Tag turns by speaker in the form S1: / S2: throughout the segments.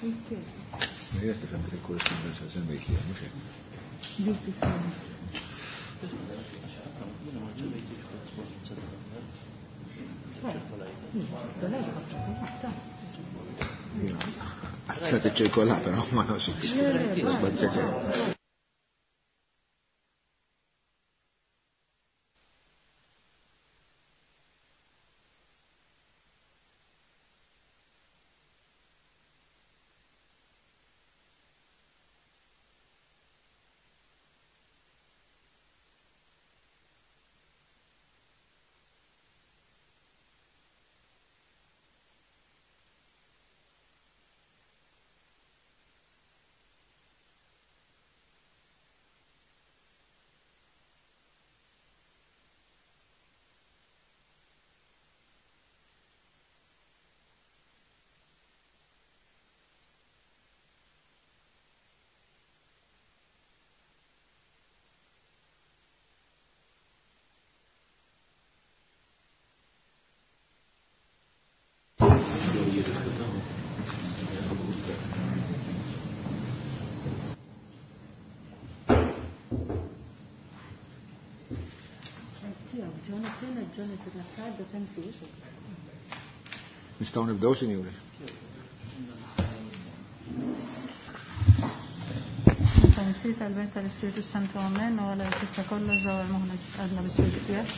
S1: Jien qed nifhem dik il-korrispondenza li semmejt li mhux hekk. Għattat iċ-ċirkola, però ma nafx. Nistgħu nibdew, sinjuri.
S2: Missier tal-Bent tal-Ispiritu Santu Amen u għala tista' kollox daw il-moħna għadna bis-Spiritu tiegħek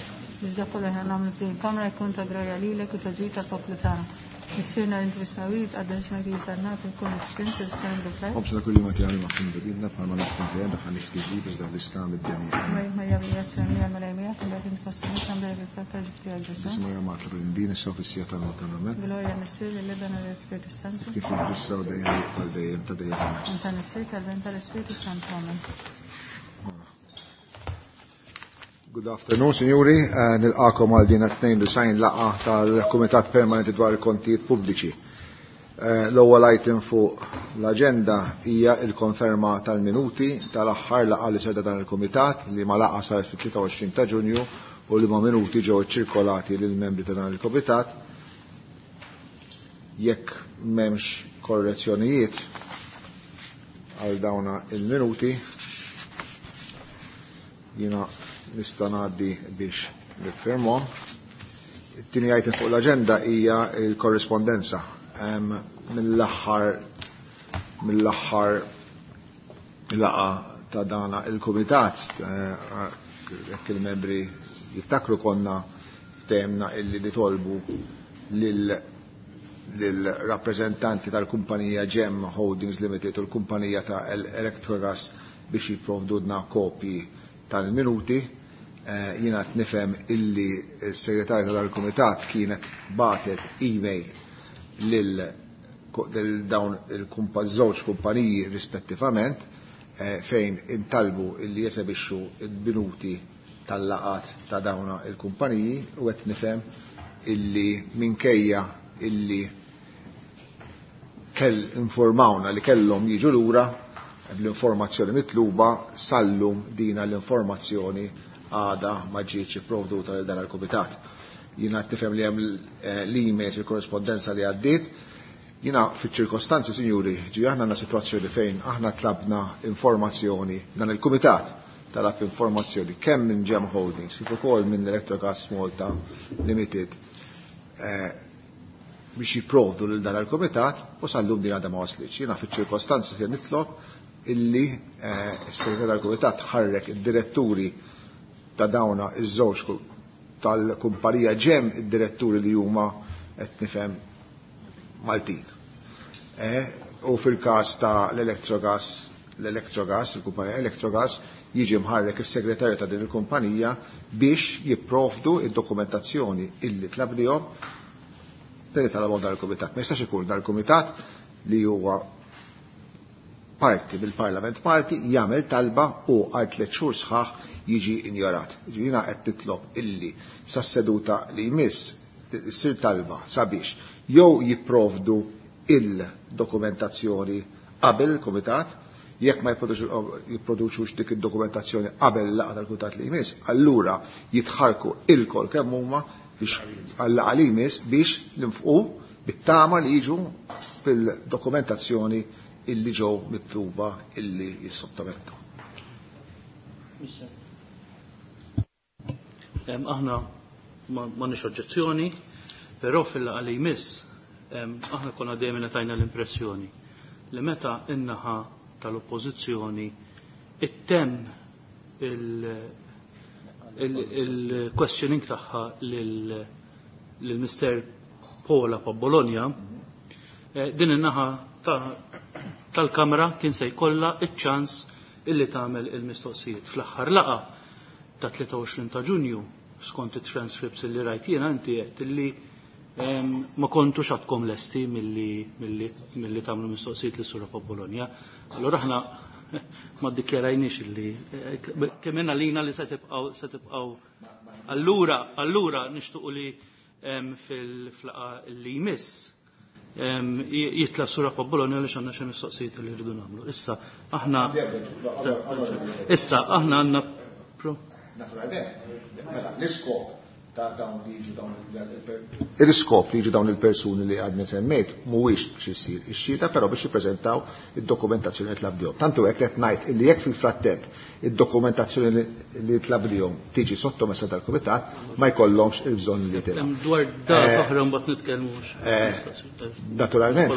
S2: biex dak kollu ħna nagħmlu f'din il-kamra jkun ta' groja lilek u ta' ġid tal-poplu tagħna. Missierna li inti fis-smawijiet għadda ismek li sarnat ikun f'xint il-sen bil-ferħ.
S1: Ħobżna kull jum għati ma' fin bidna bħalma naħfru dejjem daħal ixtiġi biex daħ l-islam id-deni.
S2: Marja bil-grazzja mija mal-għajmija, mbagħad inti fost nisa mbagħad bil-ferħ ġifti għal Ġesù.
S1: Marja ma' bil-imbin issa fis-sija tal-mewt amen.
S2: Glorja Missier lill-Iben u lill-Ispiritu Santu.
S1: Kif issa u dejjem għal dejjem ta' dejjem.
S2: Anta Missier tal-Ben tal-Ispiritu Santu amen.
S1: Good afternoon, signori. Nilqakom għal din 92 laqgħa tal-Kumitat Permanenti dwar il-Kontijiet Pubbliċi. L-ewwel item fuq l-aġenda hija l-konferma tal-minuti tal-aħħar laqgħa li serda dan il-Kumitat li ma laqgħa saret fit-23 ta' Ġunju u li ma minuti ġew iċċirkolati lill-membri ta' dan il-Kumitat. Jekk m'hemmx korrezzjonijiet għal dawna il-minuti, jiena nista' ngħaddi biex niffirmhom. It-tieni item fuq l-aġenda hija l-korrispondenza. Mill-aħħar laqgħa ta' dana il-kumitat, jekk il-membri jiftakru konna ftehemna illi nitolbu lil-rappreżentanti tal-kumpanija GEM Holdings Limited u l-kumpanija ta' Electrogas biex jipprovdudna kopji tal-minuti. Jiena qed nifhem illi s-segretarja tal-kumitat kienet batet email lil dawn il-żewġ kumpaniji rispettivament fejn intalbu illi jesebixxu il-minuti tal-laqat ta' dawna il-kumpaniji u qed nifhem illi minkejja illi kell informawna li kellhom jiġu lura bl-informazzjoni mitluba sallum dina l-informazzjoni għada ma ġietx ipprovduta lil dan il-kumitat. Jiena qed nifhem li hemm l-emails il-korrispondenza li għaddiet. Jiena fiċ-ċirkostanzi, sinjuri, ġi aħna għandna sitwazzjoni fejn aħna tlabna informazzjoni dan il-kumitat talab informazzjoni kemm minn GEM Holdings kif ukoll minn Electrogas Malta Limited biex jipprovdu lil dan il-kumitat u sallum din għadha ma waslitx. Jiena fiċ-ċirkostanzi se nitlob illi s-segretarju tal-kumitat ħarrek id-diretturi ta' dawna iż-żewġ tal-kumpanija GEM, id-diretturi li huma qed nifhem Maltin. U fil-każ ta' l-Electrogas, l-Electrogas, il-kumpanija Electrogas, jiġi mħarrek is-segretarju ta' din il-kumpanija biex jipprovdu id-dokumentazzjoni illi tlabnihom per talabhom dan il-kumitat. Ma jistax ikun dan il-kumitat li huwa parti mill-Parlament Malti jagħmel talba u għal 3 xhur sħaħ jiġi injorat. Jiena qed nitlob illi sas-seduta li jmiss issir talba sabiex jew jipprovdu il-dokumentazzjoni qabel il-kumitat, jekk ma jipproduċux dik id-dokumentazzjoni qabel il-laqgħa tal-kumitat li jmiss, allura jitħarku il-kol kemm huma biex għal-laqgħa li jmiss biex ninfqu Bit-tama li jiġu fil-dokumentazzjoni illi ġew mitluba illi jissottomettu.
S3: Aħna m'għandniex oġġezzjoni, però fil-laqgħa li jmiss aħna konna dejjem tajna l-impressjoni li meta in-naħa tal-oppożizzjoni ittemm il-questioning tagħha lil Mr. Pola pa' Bologna, din in-naħa tal-Kamra kien se jkollha iċ-ċans illi tagħmel il-mistoqsijiet. Fl-aħħar laqgħa ta' 23 ta' Ġunju, skont it-transcripts illi rajt jiena, inti qed illi ma kontux għadkom lesti milli tagħmlu mistoqsijiet lis Sura Bologna. Allura aħna ma ddikjarajniex illi kemm lina li se tibqgħu. Allura nixtuqu li fil-laqgħa li jmiss jitla Sura Bologna għaliex għandna xi mistoqsijiet li rridu nagħmlu. Issa aħna għandna
S1: Naturalment, mela l-iskop ta' dawn li jiġu dawn il-iskop li jiġu dawn il-persuni li għadni semmejt mhuwiex biex issir ix-xhieda, però biex jippreżentaw id-dokumentazzjoni li tlabdihom. Tantu hekk qed ngħid illi jekk fil-frattemp id-dokumentazzjoni li tlabdihom tiġi sottomessa tal-kumitat ma jkollhomx il-bżonn li tilgħu.
S3: Dwar dan oħra mbagħad nitkellmu.
S1: Naturalment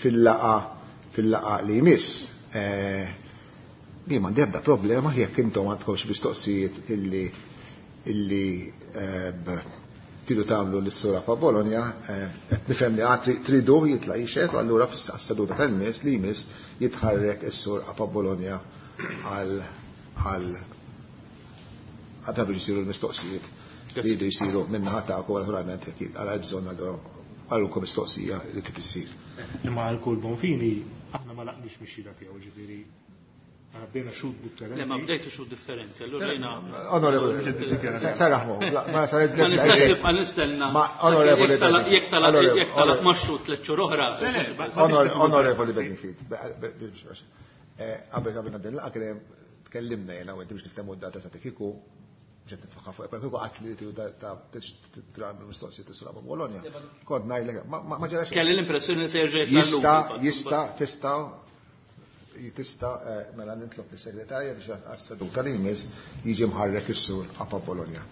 S1: fil-laqgħa li jmiss jien m'għandi ebda problema jekk intom għandkom xi mistoqsijiet illi tridu tagħmlu lis-Sura pa' Bologna, qed nifhem li għad tridu jitla' jixhed, u allura fis-seduta tal-miss li jmiss jitħarrek is-Sur pa' Bologna għal għal biex isiru l-mistoqsijiet li jridu jsiru min-naħa tagħkom, naturalment jekk għal bżonn għalulkom mistoqsija li trid issir.
S4: Imma għal kull Bonfini aħna ma laqniex mix-xhieda tiegħu, ġifieri bdejna xhud differenti.
S3: Le, ma bdejtu xhud differenti, allura jiena.
S1: Onorevoli, saraħmu, ma saret
S3: Ma nistax nibqa' nistenna.
S1: Ma onorevoli.
S3: Jekk talab ma xhud tliet xhur oħra.
S1: Onorevoli Bedingfield, qabel qabel din laqgħa kien tkellimna jiena u inti biex niftehmu d-data sa kieku ġed nitfaħħa fuq, kieku qatt li tridu ta' mistoqsijiet tisra ma' Bologna. Kont ngħidlek, ma ġarax.
S3: Kelli l-impressjoni li se jerġa' jitla'
S1: Jista' tista' tista' mela nitlob lis-segretarja biex għas-seduta li jmiss jiġi mħarrek is-Sur Apa Bologna.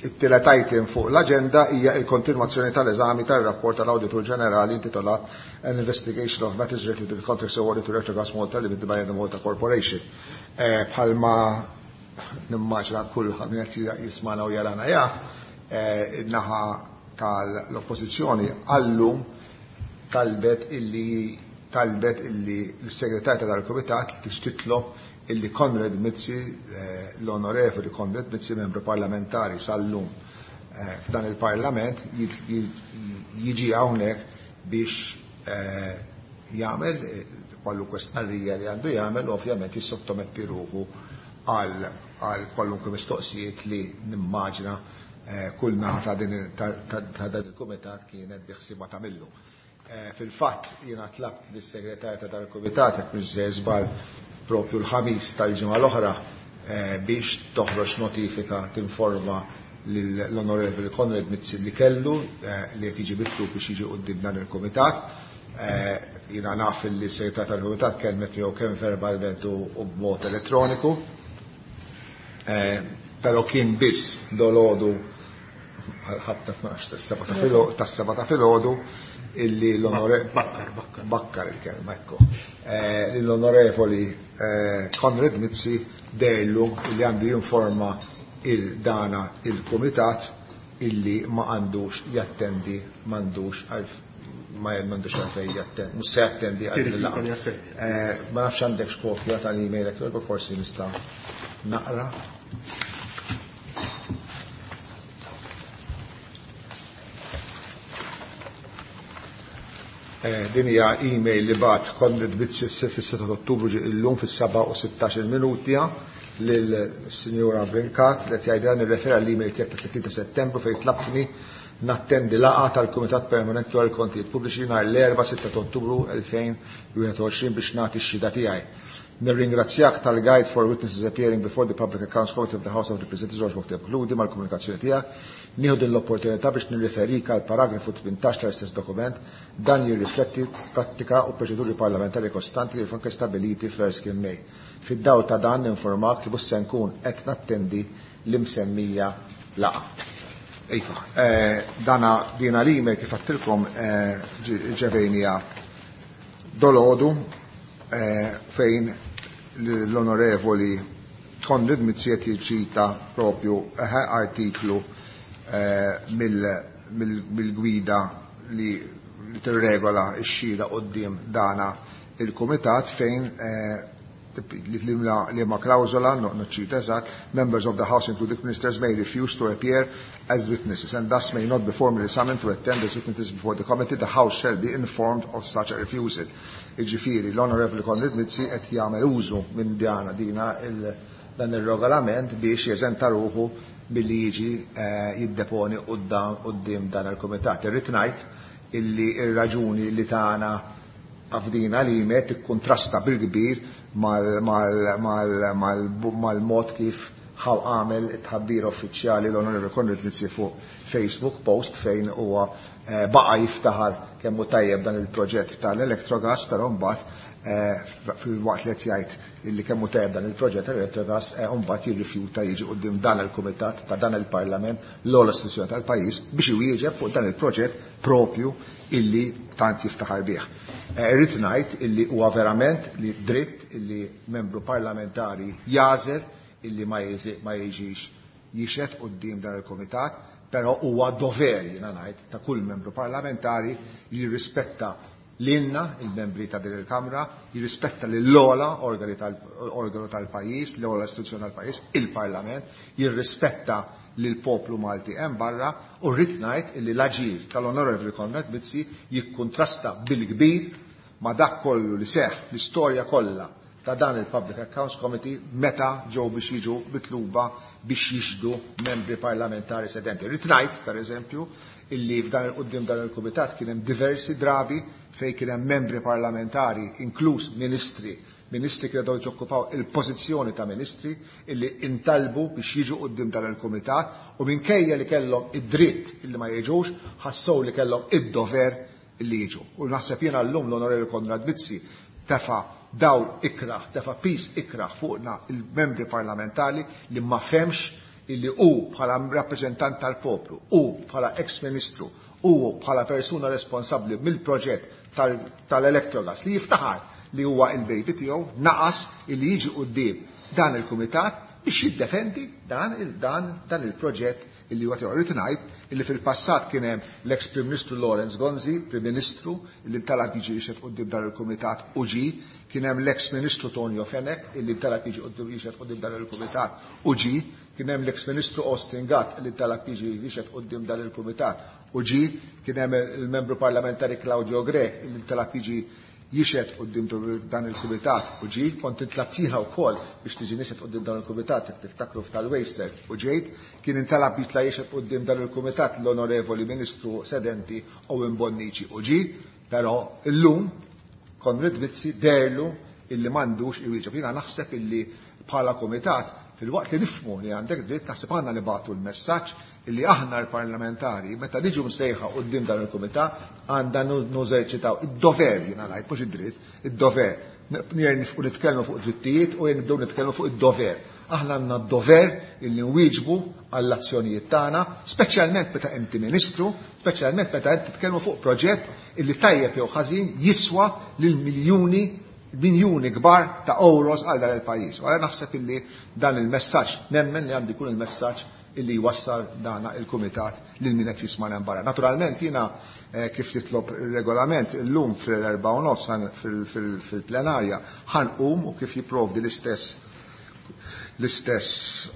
S1: It-tielet item fuq l-aġenda hija l-kontinwazzjoni tal-eżami tar-rapport tal-Awditur Ġenerali intitolat An Investigation of Matters Related to the Contracts Awarded to Electrogas Malta Limited by the Malta Corporation. Bħalma nimmaġina kull min qed jismana u jarana jaf, in-naħa tal-Oppożizzjoni għallum talbet illi l-segretarja tal-Kumitat titlob illi Konrad Mizzi, l-onorevoli Konrad Mizzi, membru parlamentari sal-lum f'dan il-Parlament, jiġi hawnhekk biex jagħmel kwalunkwe stqarrija li għandu jagħmel, u ovvjament jissottometti ruħu għal kwalunkwe mistoqsijiet li nimmaġina kull naħa ta' dan il-kumitat kienet biħsiba tagħmillu. Fil-fatt jiena tlabt lis-segretarja ta' dan il-kumitat jekk mhux se żball propju l-ħamis tal-ġimgħa l-oħra biex toħroġ notifika tinforma l-Onorevoli Konrad Mizzi li kellu li qed jiġi mitlub biex jiġi quddiem dan il-kumitat. Jiena naf li s-segretarja tal-kumitat kellmet miegħu kemm verbalment u b'mod elettroniku. Però kien biss dolodu ħabta 12 tas-seba' ta' filgħodu illi l-onorevoli bakkar il-kelma, ekku. L-onorevoli Konrad Mizzi dejlu illi għandu jinforma il-dana il-kumitat illi ma għandux jattendi, m'għandux ma m'għandux għalfejn jattendi, mhux se jattendi għal din il-laqgħa. Ma nafx għandek x'kopja tal-email hekk, forsi nista' naqra. Din hija email li bat Konrad Mizzi fis-6 ta' Ottubru ġie illum fis-7 u 16 minuti lill-Sinjura Brincat li qed jgħidilha nirrefera l-email tiegħek tat-30 ta' Settembru fejn tlabtni nattendi laqgħa tal-Kumitat Permanenti dwar il-Kontijiet Pubbliċi nhar l-Erbgħa 6 ta' Ottubru 2021 biex nagħti x-xhieda tiegħi. Nirringrazzjak tal-Guide for Witnesses Appearing Before the Public Accounts Committee of the House of Representatives għoġbok tikkonkludi mal-komunikazzjoni tiegħek. Nieħu din l-opportunità biex nirriferik għal paragrafu 18 tal-istess dokument. Dan jirrifletti prattika u proċeduri parlamentari kostanti li anke stabiliti fl-Erskine May. Fid-dawl ta' dan ninformak li mhux se nkun qed nattendi l-imsemmija laqgħa. Iva, dana dina l-email kif għedtilkom ġevejnija dolodu fejn l-onorevoli Konrad Mizzi qed jiċċita propju artiklu mill-gwida li tirregola x-xhieda quddiem dana il-kumitat fejn li ma klawżola, noċċita eżatt, "Members of the House, including ministers, may refuse to appear as witnesses and thus may not be formally summoned to attend as witnesses before the committee. The House shall be informed of such a refusal." Iġifieri, l-Onorevoli Konrad Mizzi qed jagħmel użu minn djana dina dan ir-regolament biex jeżenta ruħu billi jiġi jiddeponi quddiem dan il-kumitat. Irrid ngħid illi ir-raġuni li tagħna għafdina li met tikkontrasta bil-kbir mal-mod kif ħaw għamel it-tħabbir uffiċjali l-Onorevoli Konrad Mizzi fuq Facebook post fejn huwa baqa jiftaħar kemm hu tajjeb dan il-proġett tal-Electrogas, però mbagħad fil-waqt li qed jgħid illi kemm hu tajjeb dan il-proġett tal-Electrogas, mbagħad jirrifjuta jiġi quddiem dan il-kumitat ta' dan il-Parlament, l-ogħla istituzzjoni tal-pajjiż, biex iwieġeb fuq dan il-proġett propju illi tant jiftaħar bih. Irrid ngħid illi huwa verament li dritt illi membru parlamentari jagħżel illi ma jiġix jixhed quddiem dan il-kumitat, però huwa dover, jiena ngħid, ta' kull membru parlamentari li jirrispetta lilna, il-membri ta' din il-Kamra, jirrispetta lill-ogħla organu tal-pajjiż, l-ogħla istituzzjoni tal-pajjiż, il-Parlament, jirrispetta lill-poplu Malti hemm barra, u rrid ngħid illi l-aġir tal-Onorevoli Konrad Mizzi jikkuntrasta bil-kbir ma' dak kollu li seħħ fl-istorja kollha ta' dan il-Public Accounts Committee meta ġew biex jiġu mitluba biex jixhdu membri parlamentari sedenti. Rrid ngħid, pereżempju, illi f'dan il-quddiem dan il-kumitat kien hemm diversi drabi fejn kien hemm membri parlamentari, inkluż ministri, ministri kienu daw jokkupaw il-pożizzjoni ta' ministri, illi intalbu biex jiġu quddiem dan il-kumitat u minkejja li kellhom id-dritt illi ma jiġux, ħassew li kellhom id-dover illi jiġu. U naħseb jiena llum l-Onorevoli Konrad Mizzi tefa' dawl ikraħ, tefa' pis ikraħ fuqna il-membri parlamentari li ma femx illi hu bħala rappreżentant tal-poplu, hu bħala ex-ministru, hu bħala persuna responsabbli mill-proġett tal-Electrogas li jiftaħar li huwa il-baby tiegħu, naqas illi jiġi quddiem dan il-kumitat biex jiddefendi dan il-proġett illi huwa tiegħu. Rrid ngħid illi fil-passat kien hemm l-ex Prim Ministru Lawrence Gonzi, Prim Ministru, illi ntalab jiġi jixhed quddiem dan il-kumitat u ġie, kien hemm l-ex Ministru Tonio Fenech illi ntalab jiġi jixhed quddiem dan il-kumitat u ġie, kien hemm l-ex Ministru Austin Gatt illi ntalab jiġi jixhed quddiem dan il-kumitat u ġie, kien hemm il-membru parlamentari Claudio Grech illi ntalab jiġi jixhed quddiem dan il-kumitat u ġie, kont intlabt jiena wkoll biex tiġi nixhed quddiem dan il-kumitat jekk tiftakru f'tal-Waster u ġejt, kien intalab jitla' jixhed quddiem dan il-kumitat l-Onorevoli Ministru Sedenti Owen Bonnici u ġie, però illum Konrad Mizzi derlu illi m'għandux iwieġeb. Jiena naħseb illi bħala kumitat, fil-waqt li nifhmu li għandek dritt, naħseb għandna nibagħtu l-messaġġ illi aħna l-parlamentari, meta niġu msejħa quddiem dan il-kumitat, għandna nużerċitaw id-dover, jiena ngħid, mhux id-dritt, id-dover. Nifqu nitkellmu fuq drittijiet u nibdew nitkellmu fuq id-dover. Aħna għandna d-dover illi nwieġbu għall-azzjonijiet tagħna, speċjalment meta inti ministru, speċjalment meta inti titkellmu fuq proġett illi tajjeb jew ħażin jiswa lil miljuni, miljuni kbar ta' euros għal dan il-pajjiż. U għalhekk naħseb illi dan il-messaġġ, nemmen li għandu jkun il-messaġġ illi jwassal dana il-kumitat lil min qed jisma' hemm barra. Naturalment jiena kif titlob ir-regolament illum fil-erba' u nofs fil-plenarja ħanqum u kif jipprovdi l-istess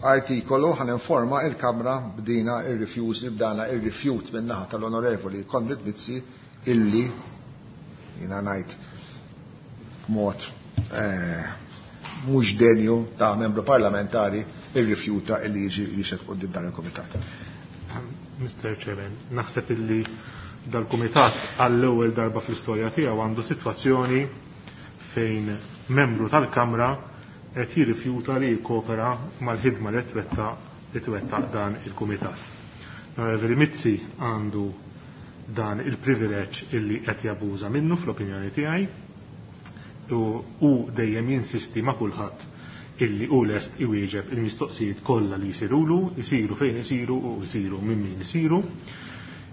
S1: artikolu ħan informa il-Kamra b'dina ir-rifjużi, b'dana ir-rifjut min-naħa tal-Onorevoli Konrad Mizzi illi jiena ngħid b'mod mhux denju ta' membru parlamentari irrifjuta illi jiġi jixhed quddiem dan il-kumitat.
S4: Mr. Chairman, naħseb illi dal-Kumitat għall-ewwel darba fl-istorja tiegħu għandu sitwazzjoni fejn membru tal-Kamra qed jirrifjuta li jikkopera mal-ħidma li twettaq dan il-Kumitat. L-Onorevoli Mizzi għandu dan il-privileġġ illi qed jabuża minnu fl-opinjoni tiegħi u hu dejjem jinsisti ma' kulħadd illi hu lest iwieġeb il-mistoqsijiet kollha li jsirulu, isiru fejn isiru u jsiru minn min isiru.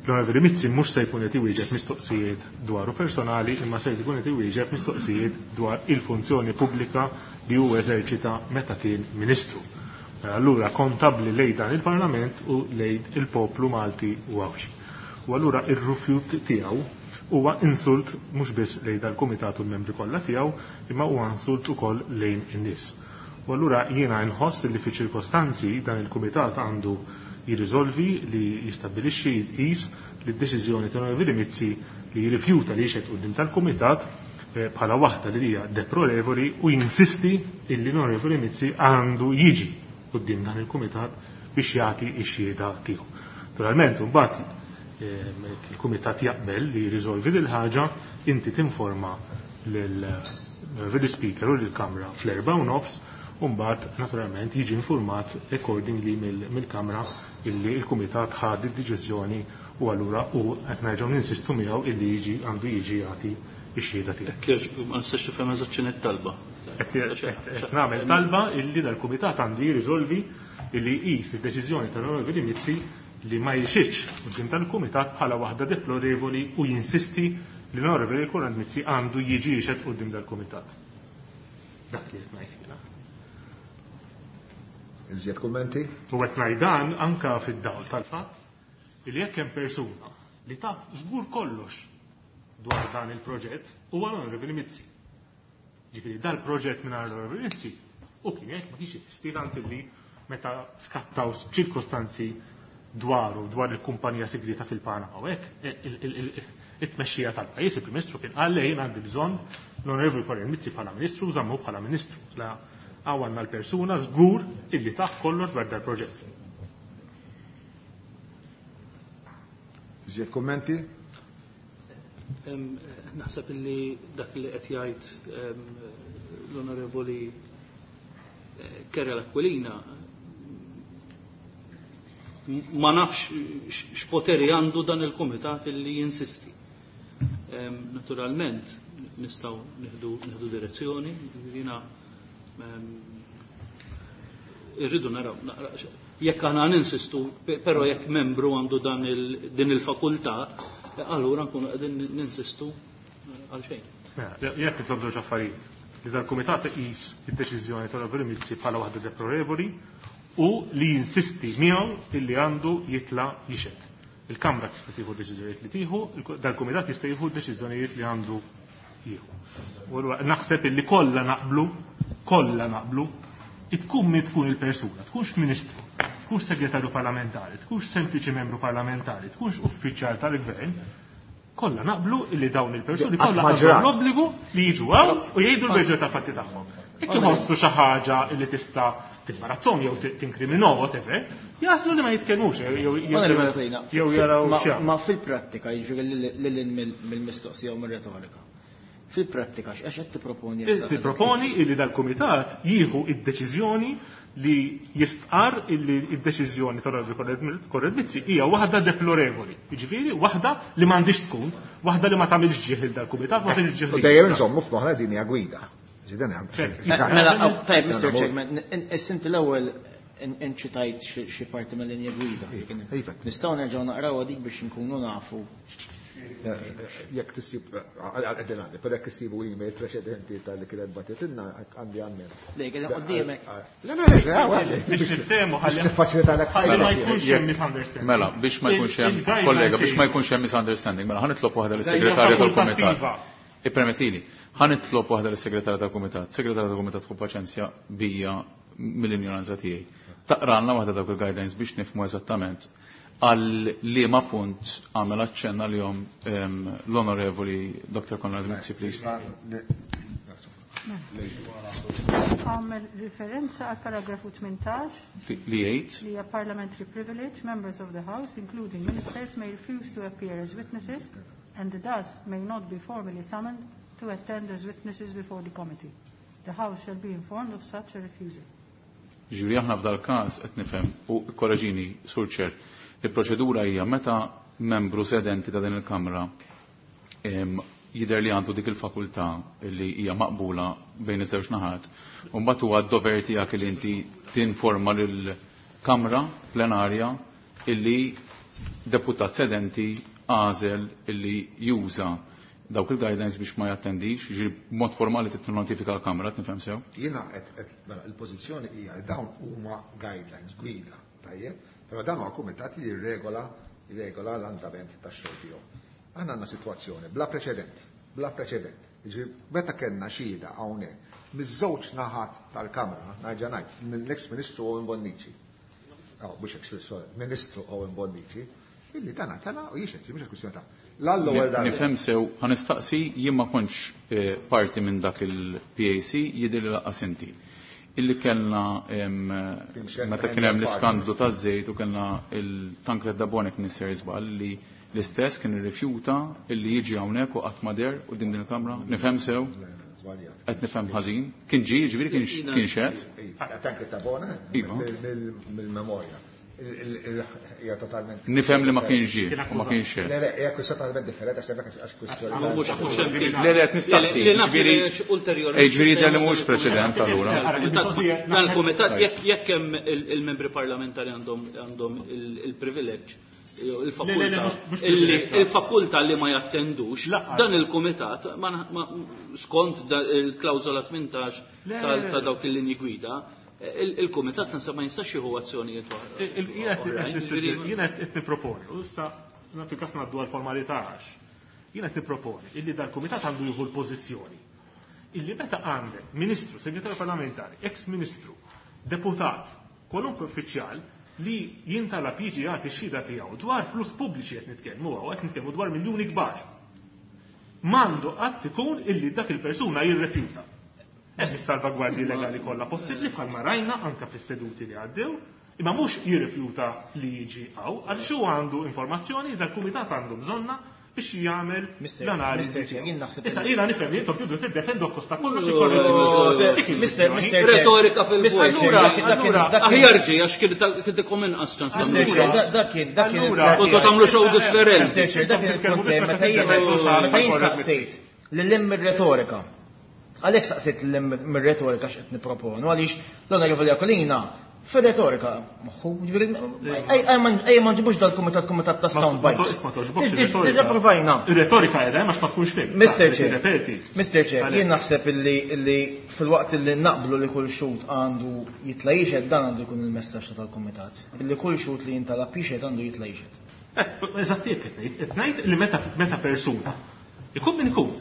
S4: L-Onorevoli Mizzi mhux se jkun qed iwieġeb mistoqsijiet dwaru personali imma se jkun qed iwieġeb mistoqsijiet dwar il-funzjoni pubblika li hu eżerċita meta kien Ministru. Mela allura kontabbli lejn dan il-Parlament u lejn il-poplu Malti u Għawdxi. U allura ir-rifjut tiegħu huwa insult mhux biss lejn dal-Kumitat u l-membri kollha tiegħu imma huwa insult ukoll lejn in-nies. U allura jiena nħoss li fi ċirkostanzi dan il-Kumitat għandu jirriżolvi li jistabbilixxi jqis li d-deċiżjoni ta' Onorevoli Mizzi li jirrifjuta li jixhed quddiem tal-Kumitat bħala waħda li hija deplorevoli u jinsisti illi l-Onorevoli Mizzi għandu jiġi quddiem dan il-Kumitat biex jagħti x-xhieda tiegħu. Naturalment, imbagħad il-Kumitat jaqbel li jirriżolvi dil ħaġa, inti tinforma lill Speaker u lill-Kamra fl-4:30 u mbagħad naturalment jiġi informat accordingly mill-Kamra illi l-Kumitat ħad id-deċiżjoni u allura u qed nerġgħu ninsistu miegħu illi jiġi għandu jiġi jagħti x-xhieda tiegħu.
S3: Hekk ma nistax nifhem eżatt x'inhi t-talba.
S4: Qed nagħmel talba illi dal-Kumitat għandu jirriżolvi illi jqis id-deċiżjoni tal-Onorevoli Mizzi li ma jixitx quddiem tal-Kumitat bħala waħda deplorevoli u jinsisti li l-Onorevoli Konrad Mizzi għandu jiġi jixhed quddiem dal-Kumitat. Dak li qed ngħid jiena.
S1: Iżjed kummenti?
S4: U qed ngħid dan anke fid-dawl tal-fatt li jekk hemm persuna li taf żgur kollox dwar dan il-proġett huwa l-Onorevoli Mizzi. Ġifieri dal-proġett mingħajr l-Onorevoli Mizzi u kien jgħid ma kienx jeżisti tant illi meta skattaw ċirkostanzi dwaru dwar il-kumpanija segreta fil-Panama u hekk, it-tmexxija tal-pajjiż, il-Prim Ministru kien qal li jien għandi bżonn l-Onorevoli Konrad Mizzi bħala Ministru, żammu bħala Ministru. La hawn għandna l-persuna żgur illi taf kollox dwar dal-proġett.
S1: Iżjed kummenti?
S3: Naħseb illi dak li qed jgħid l-Onorevoli Karol Aquilina ma nafx x'poteri għandu dan il-kumitat illi jinsisti. Naturalment nistgħu nieħdu direzzjoni, jiena irridu naraw jekk aħna ninsistu, però jekk membru għandu dan din il-fakultà, allura nkunu qegħdin ninsistu għal xejn.
S4: Jekk nitlob żewġ affarijiet, li dal-kumitat iqis id-deċiżjoni tal-Onorevoli Mizzi bħala waħda deplorevoli u li jinsisti miegħu illi għandu jitla' jixhed. Il-Kamra tista' tieħu deċiżjonijiet li tieħu, dal-kumitat jista' jieħu deċiżjonijiet li għandu jieħu. U allura naħseb illi kollha naqblu, kollha naqblu, tkun min tkun il-persuna, tkunx ministru, tkunx segretarju parlamentari, tkunx sempliċi membru parlamentari, tkunx uffiċjal tal-gvern, kollha naqblu illi dawn il-persuni
S1: Qatt
S4: kollha
S1: ma
S4: għandhom
S1: ġrat.
S4: l-obbligu li jiġu hawn u jgħidu l-verżjoni tal-fatti tagħhom. Jekk iħossu xi ħaġa li tista' timbarazzhom jew tinkriminhom whatever, jaħslu li ma jitkellmux
S5: Onorevole Aquilina,
S4: jew jaraw xi.
S5: Ma fil-prattika, jiġifieri lil mill-mistoqsija u mir-retorika. Fil-prattika x'għax qed tipproponi issa?
S4: Tipproponi illi dal-kumitat jieħu id-deċiżjoni li jistqar illi id-deċiżjoni tal-Onorevoli Konrad Mizzi hija waħda deplorevoli. Jiġifieri waħda li m'għandix tkun, waħda li ma tagħmilx ġieħ lil dal-kumitat, ma tagħmilx ġieħ
S1: U
S4: lil
S1: dejjem
S4: dal-kumitat.
S1: insommu f'moħħna din hija gwida. Ġi dan hemm.
S4: Ċert.
S5: Mela, tajb, Mr.
S1: Mela,
S5: Chairman, inti l-ewwel inċitajt xi parti mill-linja gwida.
S1: Iva.
S5: Nistgħu nerġgħu naqrawha dik biex inkunu nafu.
S1: Jekk tisib, għedin għandi, per jekk tissibu email preċedenti tal-li kienet batitinna, għandi għammen.
S5: Le, kien qoddimek.
S1: Le, le, le, le,
S4: Biex niftehmu ħalli
S1: Biex niffaċilita l
S4: ħalli ma jkunx hemm misunderstanding.
S6: Mela, biex ma jkunx hemm
S4: Il-guidelines
S6: kollega, biex ma
S4: hija-
S6: jkunx hemm misunderstanding, mela ħa nitlob waħda
S4: Hija
S6: lis-segretarja tal-kumitat.
S4: fakultattiva.
S6: Ippermettili, ħa nitlob waħda lis-segretarja tal-kumitat. Segretarja tal-kumitat tkun paċenzja bija mill-ignoranza tiegħi. Taqralna waħda dawk il-guidelines biex nifhmu eżattament għal liema punt għamel aċċenna li jom l-Onorevoli Dr. Konrad Mizzi, please.
S2: Għamel referenza għal paragrafu 18
S6: Li jgħid
S2: li hija parliamentary privilege, members of the House, including ministers, may refuse to appear as witnesses and thus may not be formally summoned to attend as witnesses before the committee. The House shall be informed of such a refusal.
S6: Ġifieri aħna f'dal każ qed nifhem u korreġini Sur Chair, il-proċedura hija meta membru sedenti ta' din il-Kamra jidher li għandu dik il-fakultà li hija maqbula bejn iż-żewġ naħat, u mbagħad huwa d-dover tiegħek li inti tinforma lill-Kamra plenarja illi deputat sedenti għażel illi juża dawk il-guidelines biex ma jattendix, ġifieri b'mod formali titnotifika l-Kamra, nifhem sew?
S1: Jiena qed mela il-pożizzjoni hija li dawn huma guidelines, gwida, tajjeb, però dan huwa kumitat li jirregola jirregola l-andament tax-xogħol tiegħu. Aħna għandna sitwazzjoni bla preċedent, bla preċedent. Jiġifieri meta kellna xhieda hawnhekk miż-żewġ naħat tal-Kamra, nerġa' ngħid, mill-ex Ministru Owen Bonnici. Oh, mhux ex sorry, Ministru Owen Bonnici, illi dan tela u jixhed, mhux kwistjoni ta' l-ewwel darba.
S6: Nifhem sew, ħa nistaqsi, jien ma kontx parti minn dak il-PAC, jidher li lanqas inti. Illi kellna meta kien hemm l-iskandlu taż-żejt u kellna il-Tancred Tabone kien isser żball li l-istess kien irrifjuta illi jiġi hawnhekk u qatt ma deher quddiem din il-Kamra. Nifhem sew? Qed nifhem ħażin. Kien ġie, jiġifieri kien xehed?
S1: Tancred Tabone
S6: Iva.
S1: mill-memorja. Hija totalment
S6: Nifhem li ma kienx ġie u ma kienx xehed.
S1: Le, le, hija kwistjoni totalment differenti għax hemmhekk għax kwistjoni.
S3: Mhux hemm kien.
S6: Le, le, qed nistaqsi,
S3: Li naf
S6: jiġifieri
S3: li ulterjorment.
S6: Jiġifieri jidher li mhuwiex preċedent allura.
S3: Dan il-kumitat jekk hemm il-membri parlamentari għandhom il-privileġġ jew il-fakultà il-fakultà li ma jattendux, dan il-kumitat skont il-klawżola 18 ta' dawk il-linji gwida, il-kumitat naħseb ma jistax jieħu azzjonijiet oħrajn.
S4: Jiena qed nipproponi, u issa fil-każ ngħaddu għall-formalità għax. Jiena qed nipproponi illi dal-kumitat għandu jieħu l-pożizzjoni illi meta għandek ministru, segretarju parlamentari, ex-ministru, deputat, kwalunkwe uffiċjal li jintalab jiġi jagħti x-xhieda tiegħu dwar flus pubbliċi qed nitkellmu hawn, qed nitkellmu dwar miljuni kbar. M'għandu qatt ikun illi dak il-persuna jirrefjuta. Hemm is-salvagwardji legali kollha possibbli bħalma rajna anke fis-seduti li għaddew, imma mhux jirrifjuta li jiġi hawn għaliex huwa għandu informazzjoni dal-kumitat għandu bżonna biex jagħmel l-analiżi.
S5: Mr. Chair, jien naħseb
S4: Issa jiena nifhem li intom tridu tiddefendu akkosta kollox
S5: Mr. Mr. Chair.
S3: Retorika fil-vojt.
S5: Mr. Chair, dak kien-
S3: Aħjar ġie għax kien ikun inqas ċans
S5: Mr.
S3: tagħmlu
S5: Chair,
S3: shows.
S5: dak kien dak kien
S4: Allura,
S3: Kontu tagħmlu show differenti.
S5: Mr. Chair, dak kien il-punt tiegħi meta jien meta jien saqsejt lil hemm ir-retorika. Għalhekk saqsejt lil hemm mir-retorika x'qed nipproponu għaliex l-Onorevoli Aquilina fir-retorika moħħu, ġifieri ejja ma nġibux dal-kumitat kumitat ta' sound bites.
S4: Ma toġbokx ir-retorika.
S5: Diġà provajna.
S4: Ir-retorika qiegħda hemm għax ma tkunx fim.
S5: Mr. Chair,
S4: Ripeti.
S5: Mr. Chair, jien naħseb illi fil-waqt illi naqblu li kull xhud għandu jitla' jixhed dan għandu jkun il-messaġġ tal-kumitat. Illi kull xhud li jintalab jixhed għandu jitla' jixhed.
S4: Eżatt jekk qed ngħid, qed ngħid li meta persuna ikun min ikun.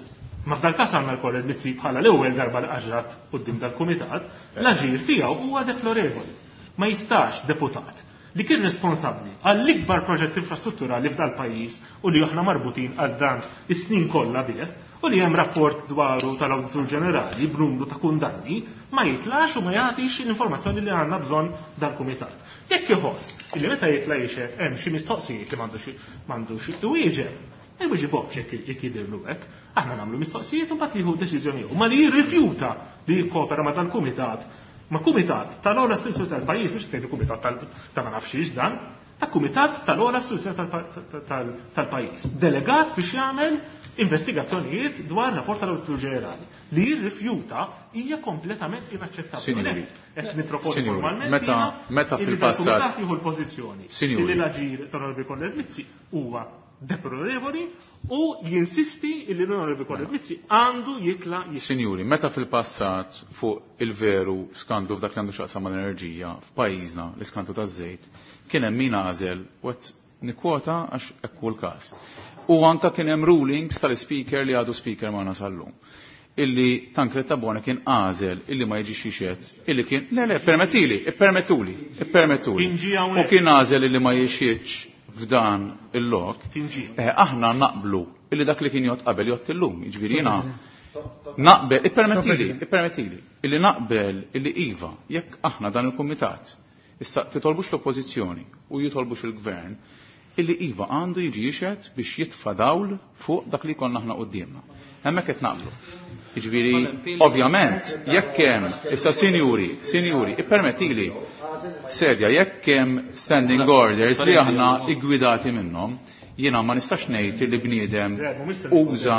S4: Ma f'dal każ għandna l-Konrad Mizzi bħala l-ewwel darba li qaġrat quddiem dal-kumitat, l-aġir tiegħu huwa deplorevoli. Ma jistax deputat li kien responsabbli għall-ikbar proġett infrastrutturali f'dal pajjiż u li aħna marbutin għal dan is-snin kollha bih u li hemm rapport dwaru tal-Awditur Ġenerali b'numru ta' kundanni ma jitlax u ma jagħtix l-informazzjoni li għandna bżonn dal-kumitat. Jekk iħoss li meta jitla' jixhed hemm xi mistoqsijiet li m'għandux iwieġeb, ma jwiġibhomx jekk jidhirlu hekk. Aħna nagħmlu mistoqsijiet u mbagħad jieħu deċiżjoni. Ma li jirrifjuta li jikkopera ma' dal-kumitat, ma' kumitat tal-ogħla istituzzjoni tal-pajjiż, mhux tgħidu kumitat ta' ma nafx dan, ta' kumitat tal-ogħla istituzzjoni tal-pajjiż, delegat biex jagħmel investigazzjonijiet dwar rapport tal-Awditur Ġenerali. Li jirrifjuta hija kompletament inaċċettabbli.
S6: Sinjuri,
S4: Qed nipproponi
S6: Sinjuri,
S4: formalment
S6: meta
S4: jiena illi
S6: fil-passat
S4: dal-kumitat jieħu l-pożizzjoni
S6: Sinjuri.
S4: illi l-aġir tal-Onorevoli Konrad Mizzi huwa deplorevoli u jinsisti illi l-Onorevoli Konrad Mizzi għandu jitla' jixhed.
S6: Sinjuri, meta fil-passat fuq il-veru skandlu f'dak li għandu x'jaqsam mal-enerġija f'pajjiżna, l-iskandlu taż-żejt, kien hemm min għażel u qed nikkwota għax hekk hu l-każ. U anka kien hemm rulings tal-speaker li għadu speaker magħna sal-lum. Illi Tancred Tabone kien għażel illi ma jiġix jixhed, illi kien, le, le, permettili, ippermettuli, ippermettuli.
S4: Kien ġie hawnhekk.
S6: U kien għażel illi ma jixhedx f'dan il-lok.
S4: Kien ġie.
S6: Aħna naqblu illi dak li kien jgħod qabel jgħod illum, jiġifieri jiena Naqbel, ippermettili, ippermettili, illi naqbel illi iva, jekk aħna dan il-kumitat, issa titolbux l-oppożizzjoni u jitolbux il-gvern, illi iva għandu jiġi jixhed biex jitfa' dawl fuq dak li jkollna aħna quddiemna. Hemmhekk qed naqblu. Jiġifieri, ovvjament, jekk hemm, issa sinjuri, sinjuri, ippermettili, sedja, jekk hemm standing orders li aħna iggwidati minnhom, jiena ma nistax ngħid li bniedem uża.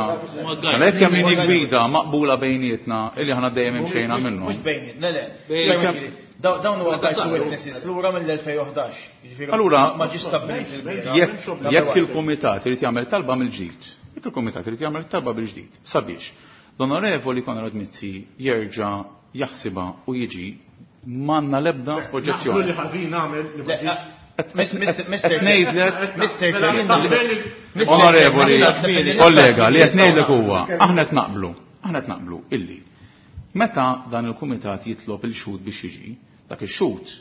S6: Mela jekk hemm linji gwida maqbula bejnietna illi aħna dejjem imxejna minnhom.
S5: Mhux bejnietna, le, le. Dawn huwa guide to witnesses lura mill-2011. Jiġifieri
S6: Allura,
S5: ma ġiex stabbilit il-bieraħ.
S6: Jekk il-kumitat irid jagħmel talba mill-ġdid, jekk il-kumitat irid jagħmel talba bil-ġdid sabiex l-Onorevoli Konrad Mizzi jerġa' jaħsibha u jiġi, m'għandna l-ebda oġġezzjoni.
S4: Naqblu li ħażin għamel li ma ġiex.
S6: Qed ngħidlek Onorevoli, kollega, li qed ngħidlek huwa, aħna qed naqblu, aħna qed naqblu illi meta dan il-kumitat jitlob il-xhud biex jiġi, dak ix-xhud